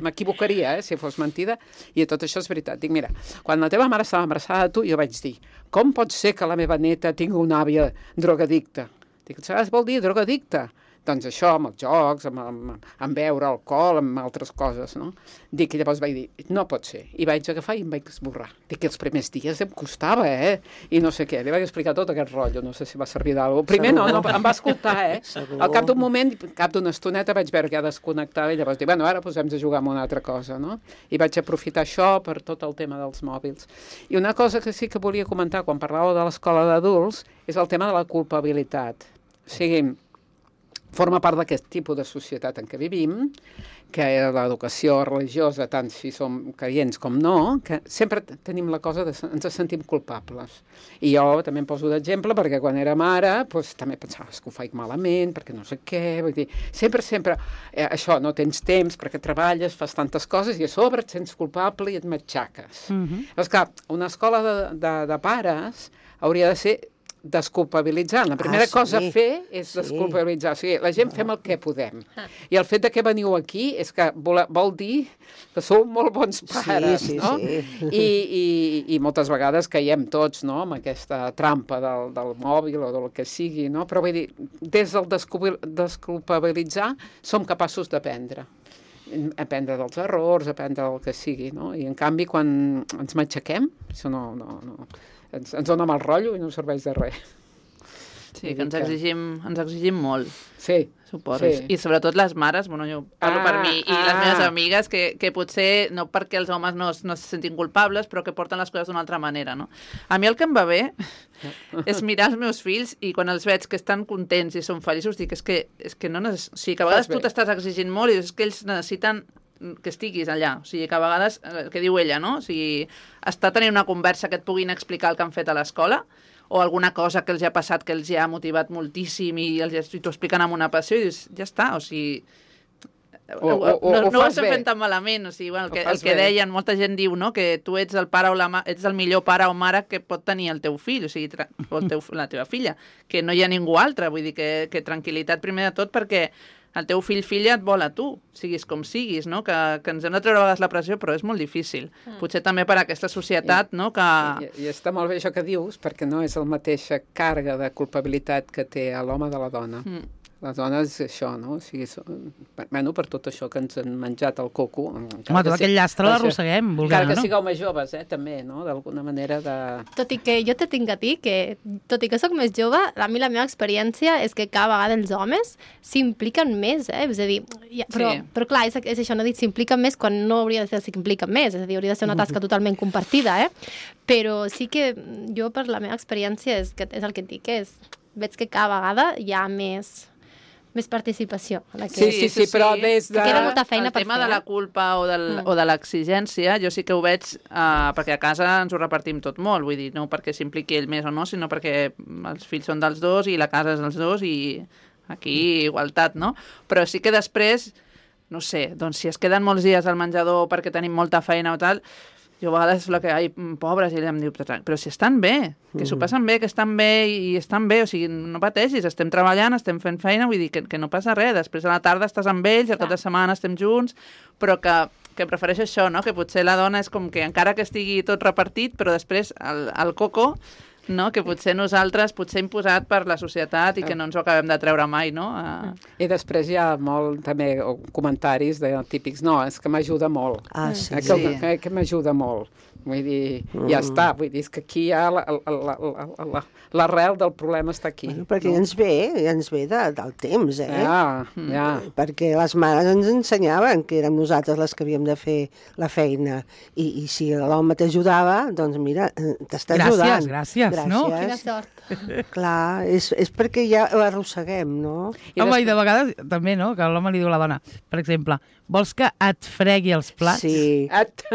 m'equivocaria, eh, si fos mentida, i tot això és veritat. Dic, mira, quan la teva mare estava embarassada de tu, jo vaig dir, com pot ser que la meva neta tingui una àvia drogadicta? Dic, saps vol dir drogadicta? Doncs això, amb els jocs, amb, amb, amb beure alcohol, amb altres coses, no? Dic, i llavors vaig dir, no pot ser. I vaig agafar i em vaig esborrar. Dic que els primers dies em costava, eh? I no sé què. Li vaig explicar tot aquest rotllo, no sé si va servir d'alguna cosa. Primer no, no, em va escoltar, eh? Segur. Al cap d'un moment, al cap d'una estoneta vaig veure que ja desconnectava i llavors dic, bueno, ara posem a jugar amb una altra cosa, no? I vaig aprofitar això per tot el tema dels mòbils. I una cosa que sí que volia comentar quan parlava de l'escola d'adults és el tema de la culpabilitat. O sigui, forma part d'aquest tipus de societat en què vivim, que l'educació religiosa, tant si som creients com no, que sempre tenim la cosa de ens sentim culpables. I jo també em poso d'exemple perquè quan era mare doncs, també pensava que ho faig malament, perquè no sé què, vull dir, sempre, sempre, eh, això, no tens temps perquè treballes, fas tantes coses i a sobre et sents culpable i et matxaques. Mhm. Llavors, clar, una escola de, de, de pares hauria de ser desculpabilitzar. La primera Ah, sí. cosa a fer és Sí. desculpabilitzar. O sigui, la gent fem el que podem. I el fet de que veniu aquí és que vol, vol dir que sou molt bons pares, Sí, sí, no? sí. I, i, I moltes vegades caiem tots, no?, amb aquesta trampa del, del mòbil o del que sigui, no? Però vull dir, des del desculpabilitzar som capaços d'aprendre. Aprendre dels errors, aprendre el que sigui, no? I en canvi, quan ens matxaquem, això no... no, no ens, ens dona mal rotllo i no serveix de res. Sí, que ens exigim, ens exigim molt. Sí. Suposo. Sí. I sobretot les mares, bueno, jo parlo Ah, per mi i ah. les meves amigues, que, que potser, no perquè els homes no, es- no se sentin culpables, però que porten les coses d'una altra manera, no? A mi el que em va bé és mirar els meus fills i quan els veig que estan contents i són feliços, dic, és que, és que no necess... O sigui, que a vegades Fas bé. tu t'estàs exigint molt i és que ells necessiten que estiguis allà. O sigui, que a vegades, el que diu ella, no? O sigui, està tenint una conversa que et puguin explicar el que han fet a l'escola o alguna cosa que els ha passat que els ha motivat moltíssim i, els, i t'ho expliquen amb una passió i dius, ja està, o sigui... O- o- o- no ho no ho fas estem bé. fent tan malament, o sigui, bueno, el Ho que, fas el que bé. deien, molta gent diu, no?, que tu ets el pare o la ma ets el millor pare o mare que pot tenir el teu fill, o sigui, tra- o el teu, la teva filla, que no hi ha ningú altre, vull dir que, que tranquil·litat primer de tot perquè el teu fill, filla, et vol a tu, siguis com siguis, no?, que, que ens hem de treure a vegades la pressió, però és molt difícil. Mm. Potser també per aquesta societat, no?, que... I, I està molt bé això que dius, perquè no és la mateixa càrrega de culpabilitat que té l'home de la dona. Mm. Les dones, això, no? O sigui, són, bueno, per tot això que ens han menjat el coco... Home, tot aquell llastre l'arrosseguem, volguem, Encara que no? sigueu més joves, eh, també, no? D'alguna manera de... Tot i que jo te tinc a dir que, tot i que sóc més jove, a mi la meva experiència és que cada vegada els homes s'impliquen més, eh? És a dir, ja, però, Sí. però clar, és, és això, no dic s'impliquen més quan no hauria de ser s'impliquen més, és a dir, hauria de ser una tasca totalment compartida, eh? Però sí que jo, per la meva experiència, és, que, és el que et dic, és, veig que cada vegada hi ha més... més participació. En aquest... Sí, sí, sí, però des de... Que queda molta feina el per tema fer, de la eh? culpa o, del, Mm. o de l'exigència, jo sí que ho veig uh, perquè a casa ens ho repartim tot molt, vull dir, no perquè s'impliqui ell més o no, sinó perquè els fills són dels dos i la casa és dels dos i aquí igualtat, no? Però sí que després, no sé, doncs si es queden molts dies al menjador perquè tenim molta feina o tal, jo a vegades la que, ai, pobres, i ella em diu, però si estan bé, que s'ho passen bé, que estan bé i estan bé, o sigui, no pateixis, estem treballant, estem fent feina, vull dir que, que no passa res, després a la tarda estàs amb ells, al cap de setmana estem junts, però que, que prefereixo això, no?, que potser la dona és com que encara que estigui tot repartit, però després el, el coco, no?, que potser nosaltres, potser imposat per la societat i que no ens ho acabem de treure mai, no? A... I després hi ha molt, també, comentaris de típics, no, és que m'ajuda molt. Ah, sí. Eh, que, que, que m'ajuda molt. Vull dir, mm. ja està, vull dir, és que aquí hi ha la- la- la- la- la- l'arrel del problema està aquí. Bueno, perquè ja ens ve, ja ens ve de, del temps, eh? Ja, ja. Perquè les mares ens ensenyaven que érem nosaltres les que havíem de fer la feina. I, i si l'home t'ajudava, doncs mira, eh, t'està Gràcies, ajudant. gràcies, no? Quina sort. Clar, és, és perquè ja ho arrosseguem, no? I Home, després- i de vegades també, no?, que l'home li diu a la dona, per exemple, vols que et fregui els plats? Sí. At,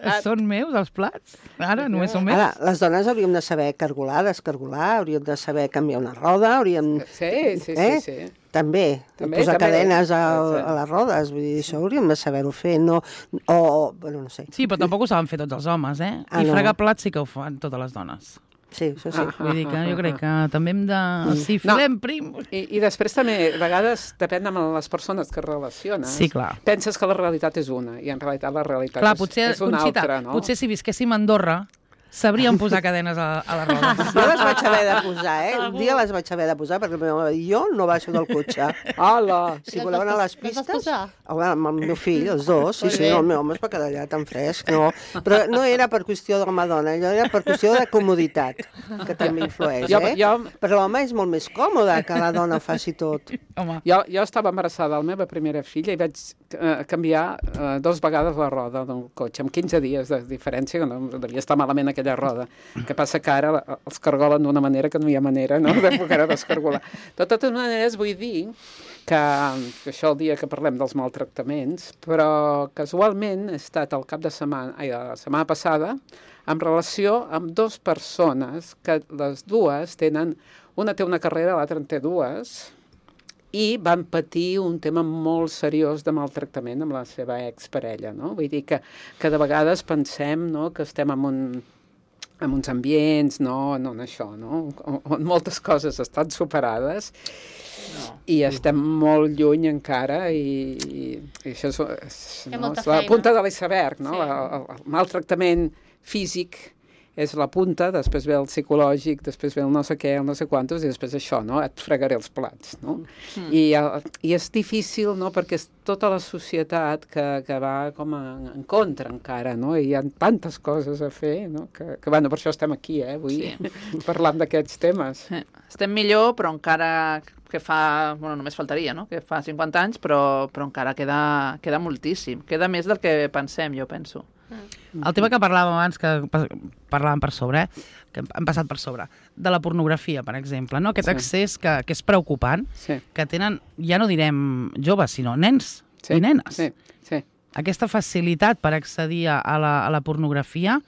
Ah, són meus els plats? Ara només són meus? Ara, les dones hauríem de saber cargolar, descargolar, hauríem de saber canviar una roda, hauríem... Sí, sí, sí, eh? sí. També, També, posar també. cadenes a, Exacte. a les rodes, vull dir, això hauríem de saber-ho fer, no... O, bueno, no sé. Sí, però tampoc ho saben fer tots els homes, eh? Ah, I no. fregar plats sí que ho fan totes les dones. Sí, això sí. Ah. Vull dir que jo crec que també hem de... Si No. filem prim... I, I després també, a vegades, depèn de les persones que relaciones. Sí, clar. Penses que la realitat és una, i en realitat la realitat Clar, és, potser, és una Conxita, altra, no? potser si visquéssim a Andorra, sabríem posar cadenes a, a les rodes. Jo les vaig haver de posar, eh? Un dia les vaig haver de posar perquè el meu home va dir, jo no baixo del cotxe. Hola! Si voleu anar a les Les vas pistes... posar? Home, amb el meu fill, els dos, sí, Molt sí, bé. el meu home es va quedar allà tan fresc, no. Però no era per qüestió d'home-dona, allò era per qüestió de comoditat, que també influeix, Jo- eh? jo- Però l'home és molt més còmode que la dona ho faci tot. Home, Jo, jo estava embarassada de la meva primera filla i vaig eh, canviar eh, dos vegades la roda del cotxe, amb quinze dies de diferència, que no devia estar malament aquella roda. El que passa que ara la- els cargolen d'una manera que no hi ha manera, no?, de poder descargolar. De totes maneres, vull dir que, que això el dia que parlem dels maltractaments, però casualment he estat el cap de setmana, ai, la setmana passada, en relació amb dues persones que les dues tenen, una té una carrera, l'altra en té dues, i van patir un tema molt seriós de maltractament amb la seva exparella, no? Vull dir que, que de vegades pensem, no?, que estem en un en uns ambients, no, no en això, no?, on, on moltes coses estan superades no. i estem molt lluny encara i, i, i això és, és, Hi ha no, molta és la feina. punta de l'iceberg, no? Sí. El, el, el maltractament físic és la punta, després ve el psicològic, després ve el no sé què, el no sé quantos, i després això, no? Et fregaré els plats, no? Mm. I, I és difícil, no?, perquè és tota la societat que, que va com en, en contra encara, no? I hi ha tantes coses a fer, no?, que, que bueno, per això estem aquí, eh, avui, sí. parlant d'aquests temes. Sí. Estem millor, però encara que fa, bueno, només faltaria, no?, que fa cinquanta anys, però, però encara queda, queda moltíssim. Queda més del que pensem, jo penso. El tema que parlàvem abans, que parlàvem per sobre, eh? que hem passat per sobre, de la pornografia, per exemple, no? Aquest sí. accés que, que és preocupant, sí. que tenen, ja no direm joves, sinó nens sí. i nenes. Sí. Sí. Aquesta facilitat per accedir a la, a la pornografia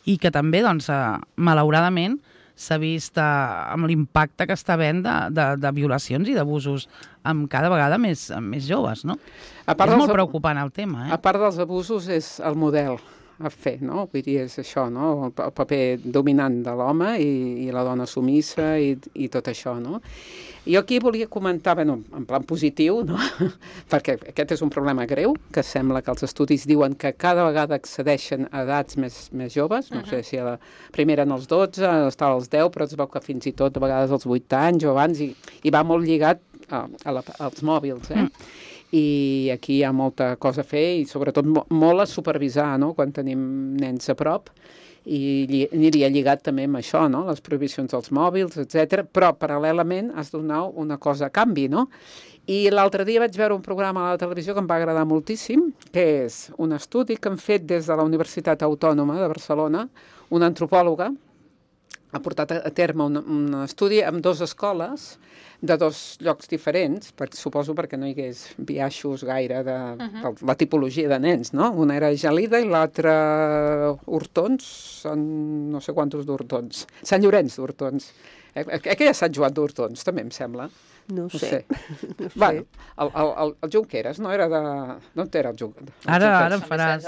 i que també, doncs, eh, malauradament, s'ha vist eh, amb l'impacte que està havent de, de, de violacions i d'abusos amb cada vegada més, amb més joves, no? A part és molt preocupant el tema, eh? A part dels abusos és el model a fer, no? Vull dir, és això, no? El, el paper dominant de l'home i, i la dona sumissa i, i tot això, no? Jo aquí volia comentar, bueno, en plan positiu, no? Perquè aquest és un problema greu, que sembla que els estudis diuen que cada vegada accedeixen a edats més, més joves, no uh -huh. sé si a la primera en els dotze, estava als deu, però es veu que fins i tot a vegades als vuit anys o abans, i, i va molt lligat a, a la, als mòbils, eh? Mm. I aquí hi ha molta cosa a fer i sobretot mo molt a supervisar, no?, quan tenim nens a prop, i lli aniria lligat també amb això, no?, les prohibicions dels mòbils, etcètera. Però paral·lelament has de donar una cosa a canvi, no? I l'altre dia vaig veure un programa a la televisió que em va agradar moltíssim, que és un estudi que han fet des de la Universitat Autònoma de Barcelona, una antropòloga ha portat a terme un, un estudi amb dues escoles de dos llocs diferents, perquè, suposo perquè no hi hagués biaixos gaire de, uh -huh. de la tipologia de nens, no? Una era Gelida i l'altra Hortons, no sé quantos d'Hortons, Sant Llorenç d'Hortons. Eh, eh, que ja Sant Joan d'Hortons, també em sembla. No ho sé. No sé. No sé. Bueno, el, el, el Junqueras no era de... No era el Junqueras. Ara, ara em faràs...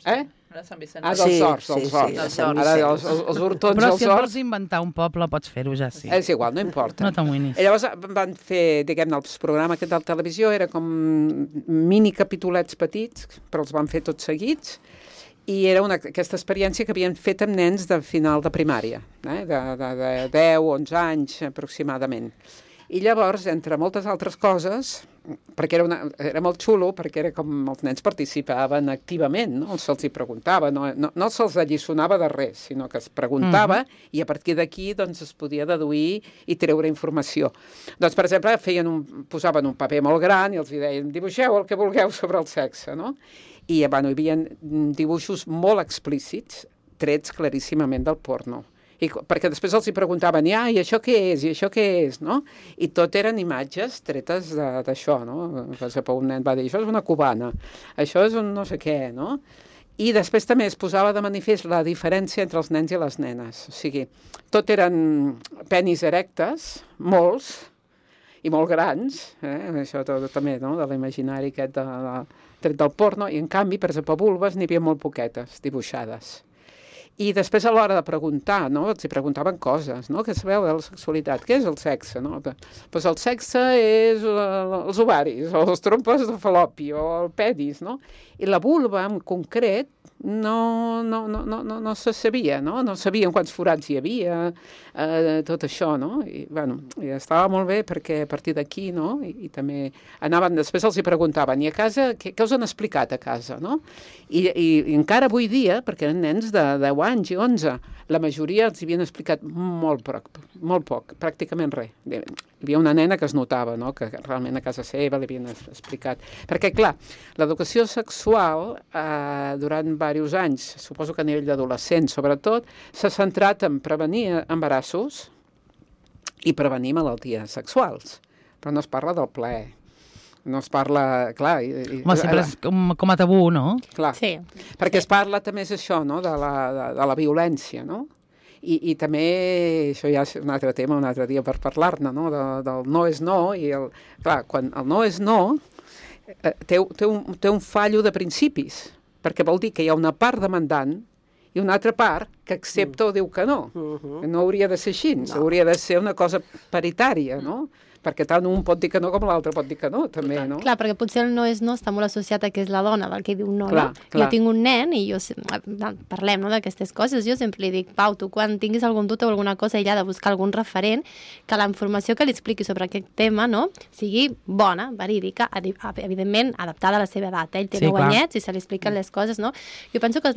Eh? Era Sant Vicenç. Ah, dels Horts, dels sí, Horts. sí, Ara, els, els, els Hortons, però els si et Horts... vols inventar un poble, pots fer-ho ja, sí. És igual, no importa. No t'amoïnis. I llavors van fer, diguem-ne, el programa aquest de la televisió, era com mini capitulets petits, però els van fer tots seguits, i era una, aquesta experiència que havien fet amb nens de final de primària, eh? de, de, de deu, onze anys aproximadament. I llavors, entre moltes altres coses, perquè era, una, era molt xulo, perquè era com els nens participaven activament, no? Se'ls hi preguntava, no, no, no se'ls alliçonava de res, sinó que es preguntava uh-huh. i a partir d'aquí doncs, es podia deduir i treure informació. Doncs, per exemple, feien un, posaven un paper molt gran i els deien, dibuixeu el que vulgueu sobre el sexe, no? I bueno, hi havia dibuixos molt explícits, trets claríssimament del porno. I, perquè després els hi preguntaven, ah, i això què és, i això què és, no? I tot eren imatges tretes d'això, no? Per exemple, un nen va dir, això és una cubana, això és un no sé què, no? I després també es posava de manifest la diferència entre els nens i les nenes. O sigui, tot eren penis erectes, molts, i molt grans, eh? Això tot, també, no?, de l'imaginari aquest de, de, tret del porno, i en canvi, per exemple, vulves n'hi havia molt poquetes, dibuixades. I després a l'hora de preguntar, no?, els hi preguntaven coses, no?, què sabeu de la sexualitat, què és el sexe, no? Doncs el sexe és els ovaris, o les trompes de fal·lopi, o el pedis, no? I la vulva, en concret, no, no, no, no, no, no se sabia, no? No sabien quants forats hi havia, eh, tot això, no? I, bueno, i estava molt bé perquè a partir d'aquí, no? I, i també anaven, després els hi preguntaven, i a casa, què, què us han explicat a casa, no? I, i, i encara avui dia, perquè eren nens de deu anys i onze, la majoria els havien explicat molt poc, molt poc, pràcticament res. Hi havia una nena que es notava, no?, que realment a casa seva li havien explicat. Perquè, clar, l'educació sexual eh, durant diversos anys, suposo que a nivell d'adolescents sobretot, s'ha centrat en prevenir embarassos i prevenir malalties sexuals. Però no es parla del plaer. No es parla, clar... I, Home, sempre és com, com a tabú, no? Clar, sí. perquè sí. Es parla també és això, no?, de la, de, de la violència, no? I, i també, això ja és un altre tema, un altre dia per parlar-ne, no?, de, del no és no, i el, clar, quan el no és no, eh, té, té, un, té un fallo de principis, perquè vol dir que hi ha una part demandant i una altra part que accepta mm. o diu que no. Uh -huh. No hauria de ser així, no. Hauria de ser una cosa paritària, no? perquè tant un pot dir que no com l'altre pot dir que no, també, no? Clar, perquè potser el no és no està molt associat a que és la dona del que diu no, clar, no? Clar. Jo tinc un nen i jo, parlem no, d'aquestes coses, jo sempre li dic, Pau, tu quan tinguis algun dubte o alguna cosa, ell ha de buscar algun referent que la informació que li expliqui sobre aquest tema, no?, sigui bona, verídica, evidentment adaptada a la seva edat. Ell té sí, nou anyets i se li expliquen les coses, no? Jo penso que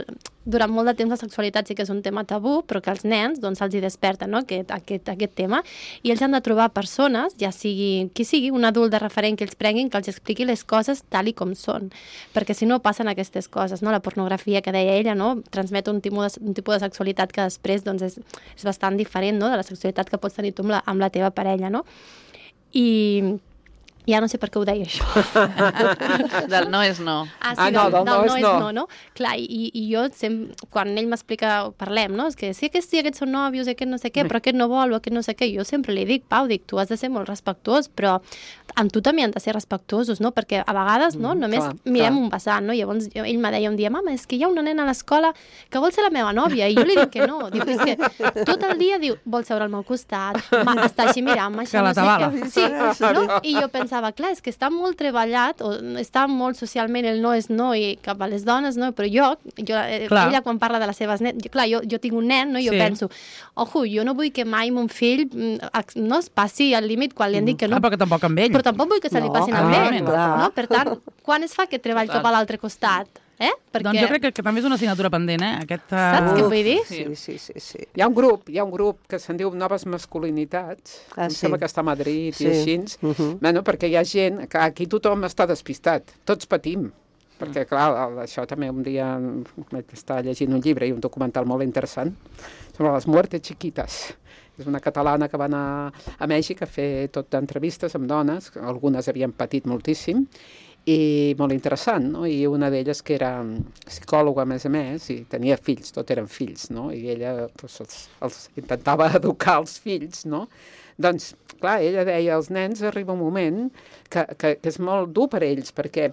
durant molt de temps la sexualitat sí que és un tema tabú, però que als nens doncs se'ls hi desperta, no?, aquest, aquest, aquest tema, i ells han de trobar persones, ja sigui qui sigui, un adult de referent que ells prenguin, que els expliqui les coses tal i com són, perquè si no passen aquestes coses, no? La pornografia que deia ella, no?, transmet un tipus de, un tipus de sexualitat que després doncs, és, és bastant diferent, no?, de la sexualitat que pots tenir tu amb la, amb la teva parella, no? I ja no sé per què ho deia, això. Del no és no. Ah, sí, ah, no, del, del no, del és no és no. no, no? Clar, i, i jo, sempre, quan ell m'explica, parlem, no? És que sí, aquests, sí, aquests són nòvios, aquest no sé què, però aquest no vol, o aquest no sé què. Jo sempre li dic, Pau, dic, tu has de ser molt respectuós, però amb tu també han de ser respectuosos, no? Perquè a vegades, no?, només clar, mirem clar. un vessant, no? Llavors jo, ell me deia un dia, mama, és que hi ha una nena a l'escola que vol ser la meva nòvia, i jo li dic que no. Diu, és que tot el dia diu, vol seure al meu costat, està així mirant-me, Que la no sé tabala. què. Sí, no? I jo pensava, clar, és que està molt treballat, o està molt socialment el no és no i cap a les dones, no? Però jo, jo Clar. ella quan parla de les seves nens, clar, jo, jo tinc un nen, no? I jo Sí. penso, ojo, jo no vull que mai mon fill mm, no es passi al límit quan li han dit que no, Ah, però que tampoc amb ell. però tampoc vull que se li No, passin amb ell, evidentment. no? Per tant, quan es fa aquest treball cap a l'altre costat? Eh? Perquè... Doncs jo crec que, que també és una assignatura pendent, eh? Aquest, uh... Saps què vull dir? Sí, sí, sí, sí. Hi ha un grup, hi ha un grup que se'n diu Noves Masculinitats, Ah, em sí. sembla que està a Madrid Sí. i així, Mhm. bueno, perquè hi ha gent, que aquí tothom està despistat, tots patim, perquè clar, el- això també un dia vaig estar llegint un llibre i un documental molt interessant sobre les muertes chiquitas. És una catalana que va anar a Mèxic a fer tot d'entrevistes amb dones, algunes havien patit moltíssim, i molt interessant, no? I una d'elles que era psicòloga, a més a més, i tenia fills, tot eren fills, no? I ella doncs, els, els intentava educar els fills, no? Doncs, clar, ella deia, als nens arriba un moment que, que, que és molt dur per ells, perquè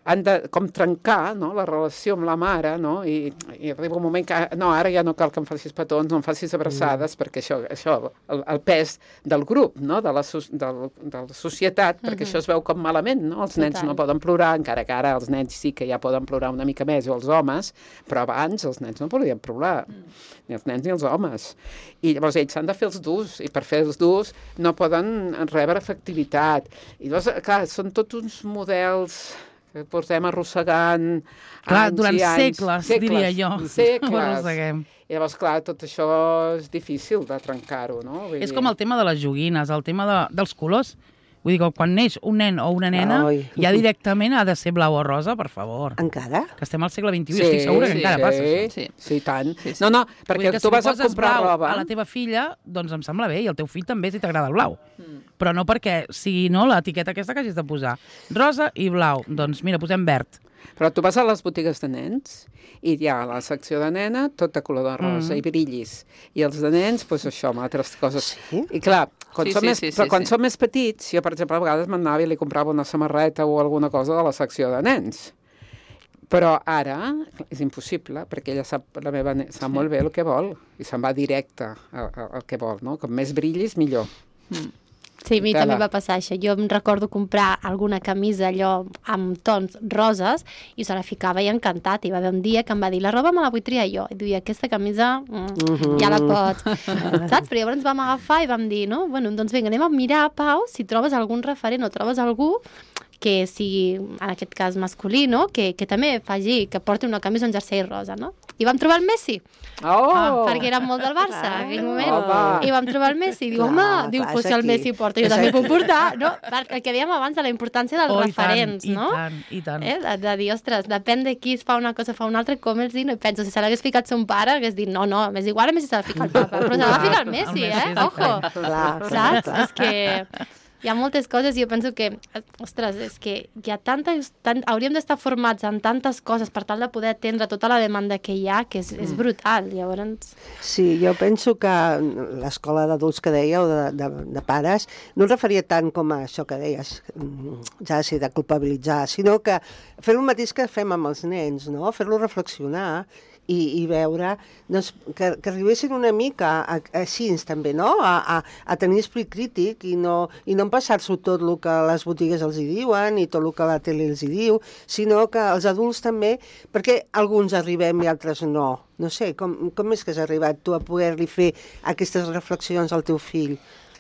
han de com trencar, no?, la relació amb la mare, no?, I, i arriba un moment que, no, ara ja no cal que em facis petons, no em facis abraçades, mm. perquè això, això el, el pes del grup, no?, de la, del, de la societat, perquè mm -hmm. això es veu com malament, no?, els nens Total. no poden plorar, encara que ara els nens sí que ja poden plorar una mica més, o els homes, però abans els nens no podien plorar, mm. ni els nens ni els homes. I llavors ells s'han de fer els durs, i per fer els durs no poden rebre afectivitat. I llavors, clar, són tots uns models que portem arrossegant Clar, anys durant i anys. segles, diria jo. Ho Segles. arrosseguem. I llavors, clar, tot això és difícil de trencar-ho, no? Vull És dir- com el tema de les joguines, el tema de, dels colors. Vull dir que quan neix un nen o una nena, Ai. ja directament ha de ser blau o rosa, per favor. Encara? Que estem al segle vint-i-u i estic segura que sí, encara sí. passa això. Sí, això. sí, i tant. Sí, sí. No, no, Vull perquè dir que tu si vas li a poses comprar blau roba... a la teva filla, doncs em sembla bé, i al teu fill també si t'agrada el blau. Mm. Però no perquè sigui no, l'etiqueta aquesta que hagis de posar. Rosa i blau. Doncs mira, posem verd. Però tu vas a les botigues de nens i hi ha la secció de nena, tot de color de rosa Mm. i brillis. I els de nens, doncs això, amb altres coses. Sí? I clar, quan, Sí, som, sí, més, sí, però sí, quan sí. som més petits, jo, per exemple, a vegades m'anava i li comprava una samarreta o alguna cosa de la secció de nens. Però ara és impossible, perquè ella sap, la meva ne- sap sí. molt bé el que vol i se'n va directe al, al que vol, no? Com més brillis, millor. Sí, a mi Tela. també va passar això. Jo em recordo comprar alguna camisa allò amb tons roses i se la ficava i encantat. I va haver un dia que em va dir, la roba me la vull triar jo. I diria, aquesta camisa mm, ja la pots. Saps? Però llavors ens vam agafar i vam dir, no? Bueno, doncs vinga, anem a mirar, Pau, si trobes algun referent o trobes algú que sigui, en aquest cas, masculí, no? Que, que també faci, que porti una camisa o un jersei rosa, no? I vam trobar el Messi, Oh! ah, perquè era molt del Barça en aquell moment. Home. I vam trobar el Messi. I diu, Clar, home, diu, clar, pues és si el aquí. Messi porta, jo És també aquí. puc portar, no? El que dèiem abans de la importància dels Oh, i referents, tant, no? I tant, i tant. Eh? De, de dir, ostres, depèn de qui es fa una cosa, fa una altra, com els dir, no? I penso, si se l'hagués ficat son pare, hagués dit, no, no, m'és igual, a Messi s'ha de ficar el papa, però se l'ha de ficar el Messi, El Messi eh? és Ojo! diferent. Clar, Saps? clar. És que hi ha moltes coses i jo penso que, ostres, és que hi ha tantes, tant, hauríem d'estar formats en tantes coses per tal de poder atendre tota la demanda que hi ha, que és, és brutal, llavors... Sí, jo penso que l'escola d'adults que dèieu, de, de, de pares, no es referia tant com a això que deies, mm, ja sí, de culpabilitzar, sinó que fer el mateix que fem amb els nens, no? Fer-los reflexionar i, i veure doncs, que, que arribessin una mica a, a, així també, no? A, a, a tenir esperit crític i no, i no empassar-s'ho tot el que les botigues els hi diuen i tot el que la tele els hi diu, sinó que els adults també, perquè alguns arribem i altres no. No sé, com, com és que has arribat tu a poder-li fer aquestes reflexions al teu fill?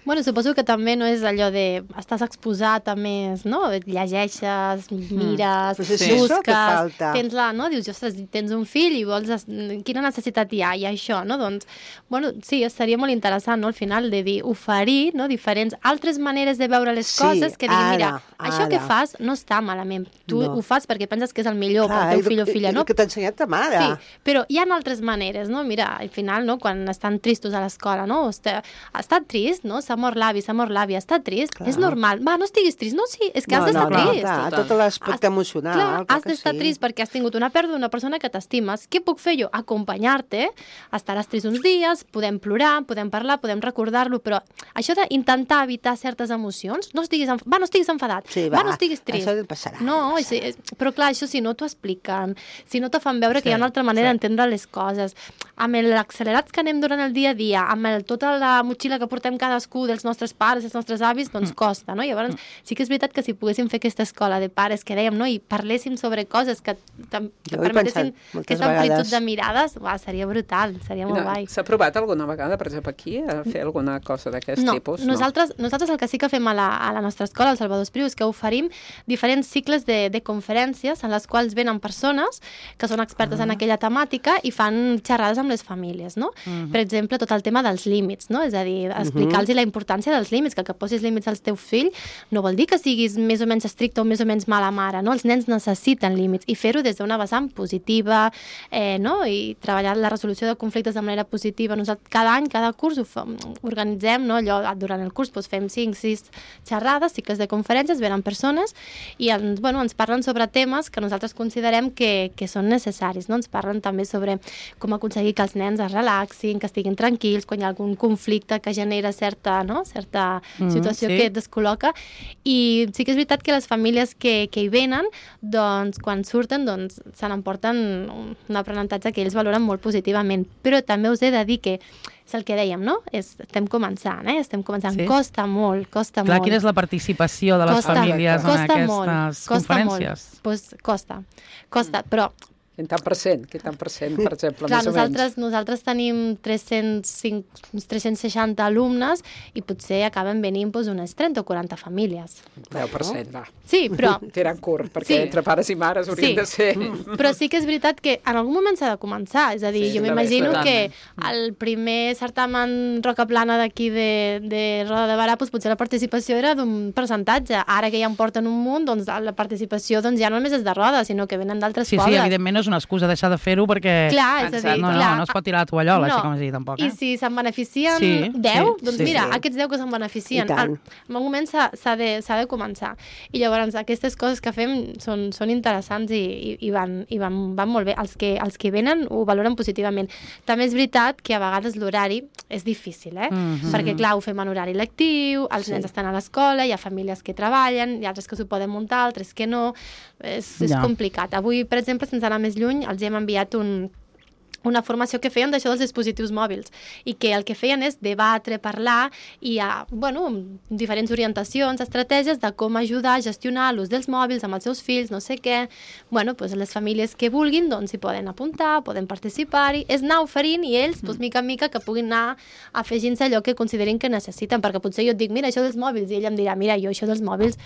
Bueno, suposo que també no és allò de estàs exposat a més, no? Llegeixes, mires, Pues és Sí. això que busques, falta. tens la, no? Dius, ostres, tens un fill i vols... es- Quina necessitat hi ha? I això, no? Doncs, bueno, sí, seria molt interessant, no? Al final, de dir, oferir, no? Diferents altres maneres de veure les Sí, coses que diguin, ara, mira, això que ara. fas no està malament. Tu No. ho fas perquè penses que és el millor Clar, pel i teu fill o el- filla, no? el que t'ha ensenyat ta mare. Sí, però hi ha altres maneres, no? Mira, al final, no? Quan estan tristos a l'escola, no? Està, ha estat trist, no? S'ha mort l'avi, s'ha mort l'avi, està trist, Clar. és normal. Va, no estiguis trist, no? Sí, és que has no, d'estar no, no, trist. clar, Total. tot l'aspecte Has- emocional. Clar, clar has que d'estar sí. trist perquè has tingut una pèrdua d'una persona que t'estimes. Què puc fer jo? Acompanyar-te, estaràs trist uns dies, podem plorar, podem parlar, podem recordar-lo, però això d'intentar evitar certes emocions, no estiguis, enf... va, no estiguis enfadat, Sí, va, va, no estiguis trist. això et passarà. No, és, és, però clar, això si no t'ho expliquen, si no te fan veure que hi ha una altra manera sí. d'entendre les coses, amb l'accelerats que anem durant el dia a dia, amb el, tota la motxilla que portem cadascú dels nostres pares, dels nostres avis, doncs costa, no? Llavors, sí que és veritat que si poguéssim fer aquesta escola de pares que dèiem, no? I parléssim sobre coses que, tam- que Jo ho he permetessin pensat moltes aquesta amplitud vegades. de mirades, uah, seria brutal, seria molt guai. S'ha provat alguna vegada, per exemple, aquí, a fer alguna cosa d'aquest No, tipus? nosaltres, nosaltres el que sí que fem a la, a la nostra escola, al Salvador Espriu, és que oferim diferents cicles de, de conferències en les quals venen persones que són expertes en aquella temàtica i fan xerrades amb les famílies, no? Per exemple, tot el tema dels límits, no? És a dir, explicar-los la importància dels límits, que el que posis límits al teu fill no vol dir que siguis més o menys estricte o més o menys mala mare, no? Els nens necessiten límits i fer-ho des d'una vessant positiva, eh, no? I treballar la resolució de conflictes de manera positiva. Nosaltres cada any, cada curs ho fa, organitzem, no? Allò, durant el curs doncs, fem cinc, sis xerrades, cicles de conferències, venen persones i ens, bueno, ens parlen sobre temes que nosaltres considerem que, que són necessaris, no? Ens parlen també sobre com aconseguir que els nens es relaxin, que estiguin tranquils, quan hi ha algun conflicte que genera certa, no? certa Mm, situació sí. que et descol·loca. I sí que és veritat que les famílies que, que hi venen, doncs, quan surten, doncs, se n'emporten un, un aprenentatge que ells valoren molt positivament. Però també us he de dir que és el que dèiem, no? És, estem començant, eh? Estem començant. Sí. Costa molt, costa Clar, molt. quina és la participació de les Costa- famílies en costa aquestes molt, costa conferències? Molt. Pues costa, costa, però Quin tant per cent? Quin tant per cent, per exemple, clar, més o nosaltres, menys? nosaltres tenim tres-cents cinc, uns tres-cents seixanta alumnes i potser acaben venint doncs, unes trenta o quaranta famílies. deu per cent, va. Sí, però, Tirant curt, perquè Sí. entre pares i mares haurien Sí. de ser... però sí que és veritat que en algun moment s'ha de començar. És a dir, Sí, jo també, m'imagino totalment. que el primer certamen Roca Plana d'aquí de, de Roda de Barà, doncs, potser la participació era d'un percentatge. Ara que ja en porten un munt, doncs la participació doncs, ja no només és de Roda, sinó que venen d'altres Sí, sí, pobles. evidentment no és una excusa deixar de fer-ho perquè... Clar, és a dir, no, no, clar, no es pot tirar la tovallola, no. així com es digui, tampoc. I Eh? si se'n beneficien Sí, deu, sí, doncs sí, mira, sí. aquests deu que se'n beneficien. I tant. En algun moment s'ha s'ha de, s'ha de començar. I llavors aquestes coses que fem són, són interessants i, i, i, van, i van, van molt bé. Els que, els que venen ho valoren positivament. També és veritat que a vegades l'horari és difícil, eh? Mhm. Perquè, clar, ho fem en horari lectiu, els Sí. nens estan a l'escola, hi ha famílies que treballen, hi ha altres que s'ho poden muntar, altres que no. És, és Ja. complicat. Avui, per exemple, sense anar més lluny, els hem enviat un, una formació que feien d'això dels dispositius mòbils i que el que feien és debatre, parlar i hi ha, bueno, diferents orientacions, estratègies de com ajudar a gestionar l'ús dels mòbils amb els seus fills, no sé què. Bueno, doncs les famílies que vulguin doncs s'hi poden apuntar, poden participar-hi, és anar oferint i ells, doncs, mica en mica, que puguin anar afegint-se allò que considerin que necessiten, perquè potser jo et dic, mira, això dels mòbils, i ell em dirà, mira, jo això dels mòbils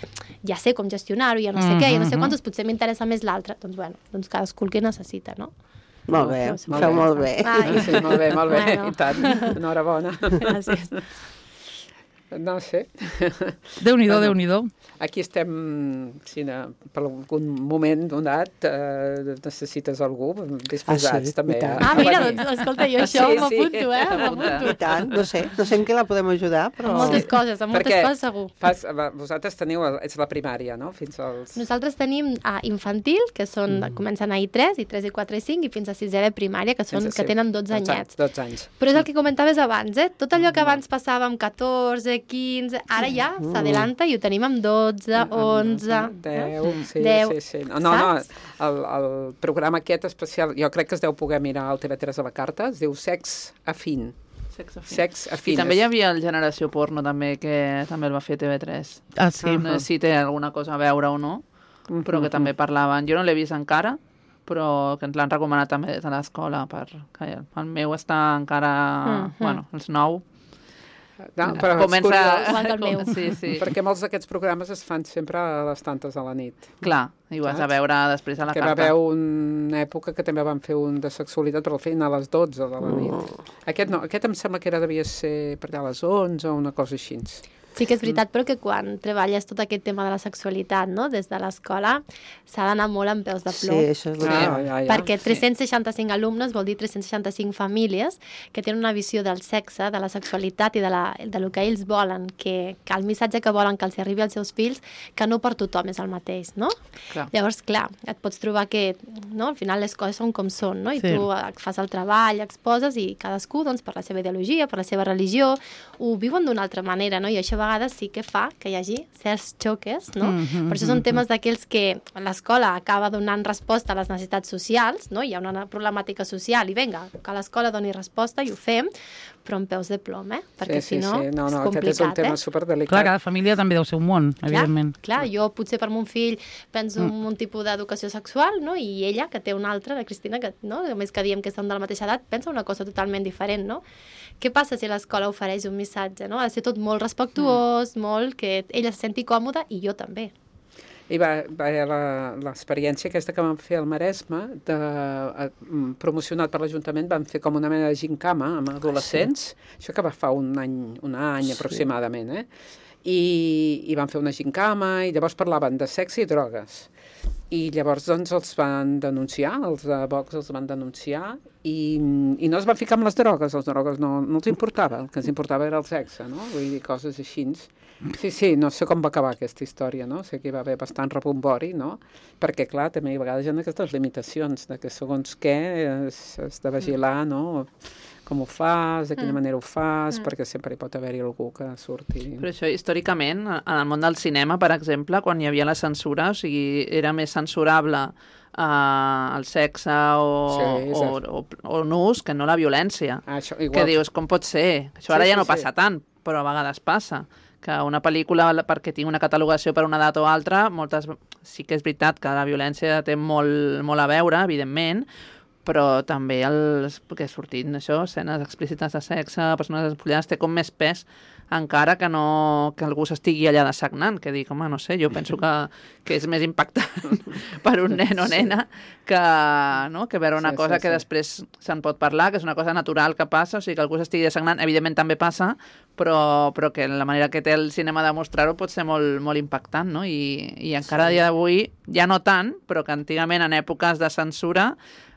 ja sé com gestionar-ho, ja no sé què, ja no sé quantos, potser m'interessa més l'altre. Doncs, bueno, doncs cadascú el que necessita, no? Molt bé, Molt feu bé. molt bé. Ai. Sí, molt bé, molt bé, Bueno. i tant. Enhorabona. Gràcies. No sé. Déu-n'hi-do, Bueno. Déu-n'hi-do. Aquí estem, si no, per algun moment donat, eh, necessites algú, disposats Ah, sí, també i tant. a, Ah, a mira, venir. doncs, escolta, jo això Sí, sí. m'apunto, eh? M'apunto. I tant, no sé, no sé en què la podem ajudar, però... Amb moltes coses, amb moltes Perquè coses segur. Fas, vosaltres teniu, el- és la primària, no? Fins als... Nosaltres tenim a infantil, que són, mm. comencen a I tres, I tres, I quatre, I cinc, i fins a sisè de primària, que, són, fins a que ser- tenen dotze anyets. dotze anys. Però és el que comentaves abans, eh? Tot allò que abans passava amb catorze, quinze, ara ja s'adelanta i ho tenim amb dotze, onze... deu, sí, deu, sí, sí. No, no, saps? el, el programa aquest especial, jo crec que es deu poder mirar al T V tres a la carta, es diu Sex Afín. Sex afins. Sex I afines. també hi havia el Generació Porno, també, que també el va fer T V tres. Ah, sí. No sé si té alguna cosa a veure o no, però que Mhm. també parlaven. Jo no l'he vist encara, però que ens l'han recomanat també des de l'escola. Per... El meu està encara... Mhm. Bueno, els nou. No, però és Comença... curiós, Igual que el meu. Sí, sí. perquè molts d'aquests programes es fan sempre a les tantes a la nit. Clar, i ho has de Saps? veure després a la Que va carta. haver una època que també van fer un de sexualitat, però el feien a les dotze de la nit. Aquest no, aquest em sembla que era devia ser per allà a les onze o una cosa així. Sí que és veritat, però que quan treballes tot aquest tema de la sexualitat, no?, des de l'escola, s'ha d'anar molt amb peus de Sí, plom. això és veritat. ja, ja. Perquè tres-cents seixanta-cinc alumnes vol dir tres-cents seixanta-cinc famílies que tenen una visió del sexe, de la sexualitat i de, la, de lo que ells volen, que, que el missatge que volen que els arribi als seus fills, que no per tothom és el mateix, no? Clar. Llavors, clar, et pots trobar que, no?, al final les coses són com són, no? I Sí. tu eh, fas el treball, exposes, i cadascú, doncs, per la seva ideologia, per la seva religió, ho viuen d'una altra manera, no? I això a vegades sí que fa que hi hagi certs xoques, no? Mhm, Per això són temes d'aquells que l'escola acaba donant resposta a les necessitats socials, no? Hi ha una problemàtica social i vinga, que l'escola doni resposta i ho fem, però amb peus de plom, eh? Perquè sí, sí, si no, sí. No, és no, complicat, aquest és un tema eh? superdelicat. Clar, cada família també deu ser un món, evidentment. Clar, clar, jo potser per mon fill penso en un tipus d'educació sexual, no? I ella, que té una altra, la Cristina, que, no?, a més que diem que són de la mateixa edat, pensa una cosa totalment diferent, no? Què passa si l'escola ofereix un missatge, no? Ha de ser tot molt respectuós, molt, que ella se senti còmoda i jo també. I va, va la- l'experiència aquesta que vam fer al Maresme, de, eh, mm, promocionat per l'Ajuntament, vam fer com una mena de gincama amb adolescents, això que va fa un any, un any Sí. aproximadament, eh? I, i van fer una gincama i llavors parlaven de sexe i drogues. I llavors doncs els van denunciar, els de Vox els van denunciar i, i no es van ficar amb les drogues, les drogues no, no els importava, el que ens importava era el sexe, no? Vull dir, coses així. Sí, sí, no sé com va acabar aquesta història, no? Sé que hi va haver bastant rebombori, no? Perquè, clar, també a vegades hi ha aquestes limitacions de que segons què has de vigilar, no? Com ho fas, de quina Mm. manera ho fas, Mm. perquè sempre hi pot haver-hi algú que surti... Però això, històricament, en el món del cinema, per exemple, quan hi havia la censura, o sigui, era més censurable uh, el sexe o, Sí, o, exacte. o, o nus que no la violència. Ah, això, Que igual, dius, com pot ser? Això Sí, ara ja sí, no sí. passa tant, però a vegades passa. Que una pel·lícula, perquè tingui una catalogació per una data o altra, moltes... sí que és veritat que la violència té molt, molt a veure, evidentment, però també els que sortint això, escenes explícites de sexe, persones despullades, té com més pes encara que no que algú s'estigui allà dessagnant, que dic, home, no sé, jo penso que, que és més impactant per un nen o nena que, no? que veure una Sí, cosa sí, que sí. després se'n pot parlar, que és una cosa natural que passa, o sigui, que algú s'estigui dessagnant, evidentment també passa, però, però que la manera que té el cinema de mostrar-ho pot ser molt, molt impactant, no? I, i encara sí. a dia d'avui, ja no tant, però que antigament en èpoques de censura,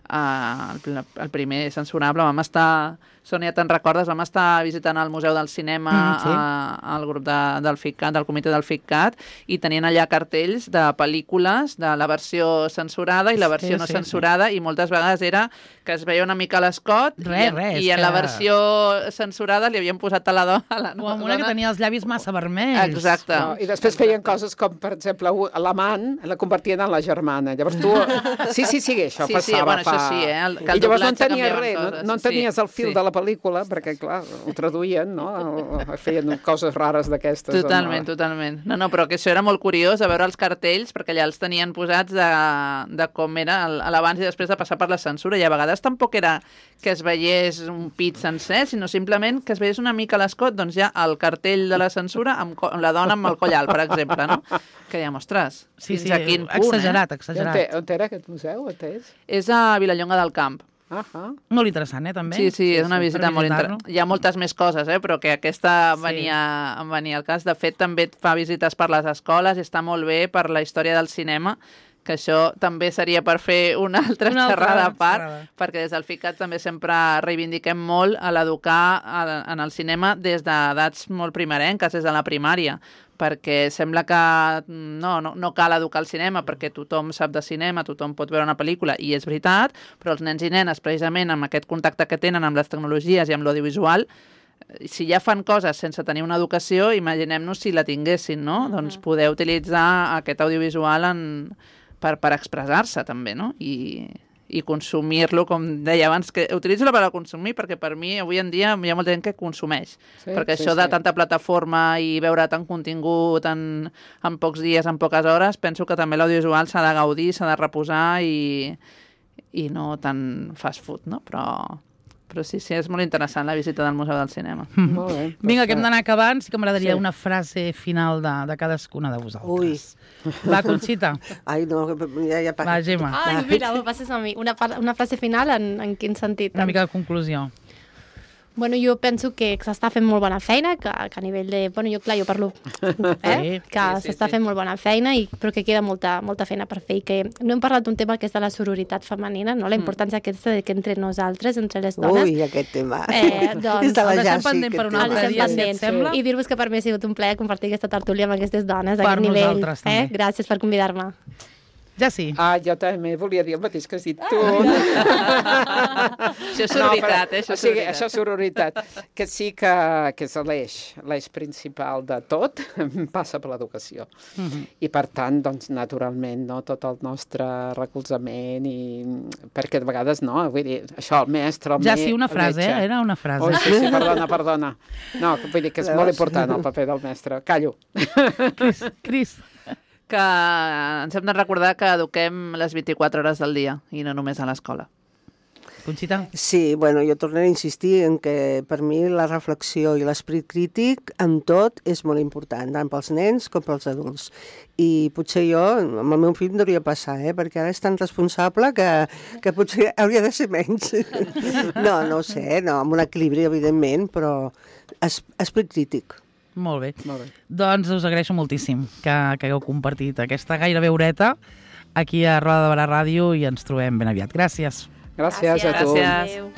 Uh, el, el primer censurable, vam estar, Sònia, te'n recordes, vam estar visitant el Museu del Cinema, Mm, sí. uh, el grup de, del FICCAT, del comitè del FICCAT, i tenien allà cartells de pel·lícules de la versió censurada i la versió Sí, no sí, censurada, i moltes vegades era que es veia una mica l'escot, Res, i, en- res, i en que- la versió censurada li havien posat a la dona. A la O amb una que tenia els llavis massa vermells. Exacte. No, I després feien coses com, per exemple, u- l'amant la convertien en la germana. Llavors tu... Sí, sí, sí, això Sí, sí, passava bueno, fa... això sí, eh, el- que el I llavors no en doblatge tenies canviaven res, no, coses, no en sí, tenies el fil sí. de la pel·lícula, perquè, clar, ho traduïen, no? Feien coses rares d'aquestes. Totalment, no? totalment. No, no, però que això era molt curiós, a veure els cartells, perquè allà els tenien posats de, de com era el- l'abans i després de passar per la censura, i a vegades tampoc era que es veiés un pit sencer, sinó simplement que es veiés una mica l'escot, doncs ja el cartell de la censura amb, co- amb la dona amb el coll alt, per exemple, no? Que ja mostres, Sí, fins sí, a quin punt, exagerat, I On, exagerat. te, on era aquest museu? On és? eh? És a Vilallonga del Camp. Ahà. Molt interessant, eh, també? Sí, sí, és una per visita molt visitar-lo. interessant. Hi ha moltes més coses, eh, però que aquesta em Sí. venia, em venia al cas. De fet, també et fa visites per les escoles i està molt bé per la història del cinema, que això també seria per fer una altra Una altra xerrada a part, xerrada. perquè des del FICAT també sempre reivindiquem molt a l'educar a- en el cinema des d'edats molt primerenques, des de la primària, perquè sembla que no, no, no cal educar al cinema perquè tothom sap de cinema, tothom pot veure una pel·lícula, i és veritat, però els nens i nenes, precisament amb aquest contacte que tenen amb les tecnologies i amb l'audiovisual, si ja fan coses sense tenir una educació, imaginem-nos si la tinguessin, no? Doncs poder utilitzar aquest audiovisual en, per, per expressar-se també, no? I, i consumir-lo, com deia abans, que utilitzo la paraula consumir perquè per mi avui en dia hi ha molta gent que consumeix, Sí, perquè sí, això de sí. tanta plataforma i veure tant contingut en, en pocs dies, en poques hores, penso que també l'audiovisual s'ha de gaudir, s'ha de reposar i, i no tant fast food, no? Però, però sí, sí, és molt interessant la visita del Museu del Cinema. Molt bé. Vinga, Doncs, que hem d'anar acabant. Sí que m'agradaria Sí. una frase final de, de cadascuna de vosaltres. Ui. Va, Conxita. Ai, no, que ja, ja... Va, Gemma. Ai, mira, ho passes a mi. Una, par- una frase final en, en quin sentit? Una mica de conclusió. Bueno, jo penso que s'està fent molt bona feina, que, que a nivell de... Bueno, jo, clar, jo parlo, eh? Sí. que Sí, sí, s'està sí. fent molt bona feina, i, però que queda molta, molta feina per fer, i que no hem parlat d'un tema que és de la sororitat femenina, no? La importància aquesta de que entre nosaltres, entre les dones... Ui, aquest tema. Eh, doncs, És de la el deixem Jassi, pendent per aquest un el altre tema. deixem dia, si et pendent. sembla. I dir-vos que per mi ha sigut un plaer compartir aquesta tertúlia amb aquestes dones Per d'aquest nivell. nosaltres, Eh? també. Gràcies per convidar-me. Ja sí. Ah, jo també volia dir el mateix que has dit tu. Això és sororitat, eh? Això o és sigui, sororitat. això és sororitat. Que sí que, que és l'eix, l'eix principal de tot, passa per l'educació. Mhm. I per tant, doncs, naturalment, no, tot el nostre recolzament, i perquè de vegades, no, vull dir, això, el mestre, el Ja me- sí, una el frase, metge. eh? Era una frase. Oh, sí, sí, perdona, perdona. No, vull dir que és molt important el paper del mestre. Callo. Cris, Cris. Que ens hem de recordar que eduquem les vint-i-quatre hores del dia i no només a l'escola. Conxita. Sí, bueno, jo tornaré a insistir en que per mi la reflexió i l'esperit crític en tot és molt important, tant pels nens com pels adults. I potser jo, amb el meu fill, em hauria passar, eh? perquè ara és tan responsable que, que potser hauria de ser menys. No, no ho sé, no, amb un equilibri, evidentment, però es, esperit crític. Molt bé. Molt bé. Doncs us agraeixo moltíssim que, que hagueu compartit aquesta gairebé horeta aquí a Roda de Barà Ràdio i ens trobem ben aviat. Gràcies. Gràcies, a tu. Gràcies. Adéu.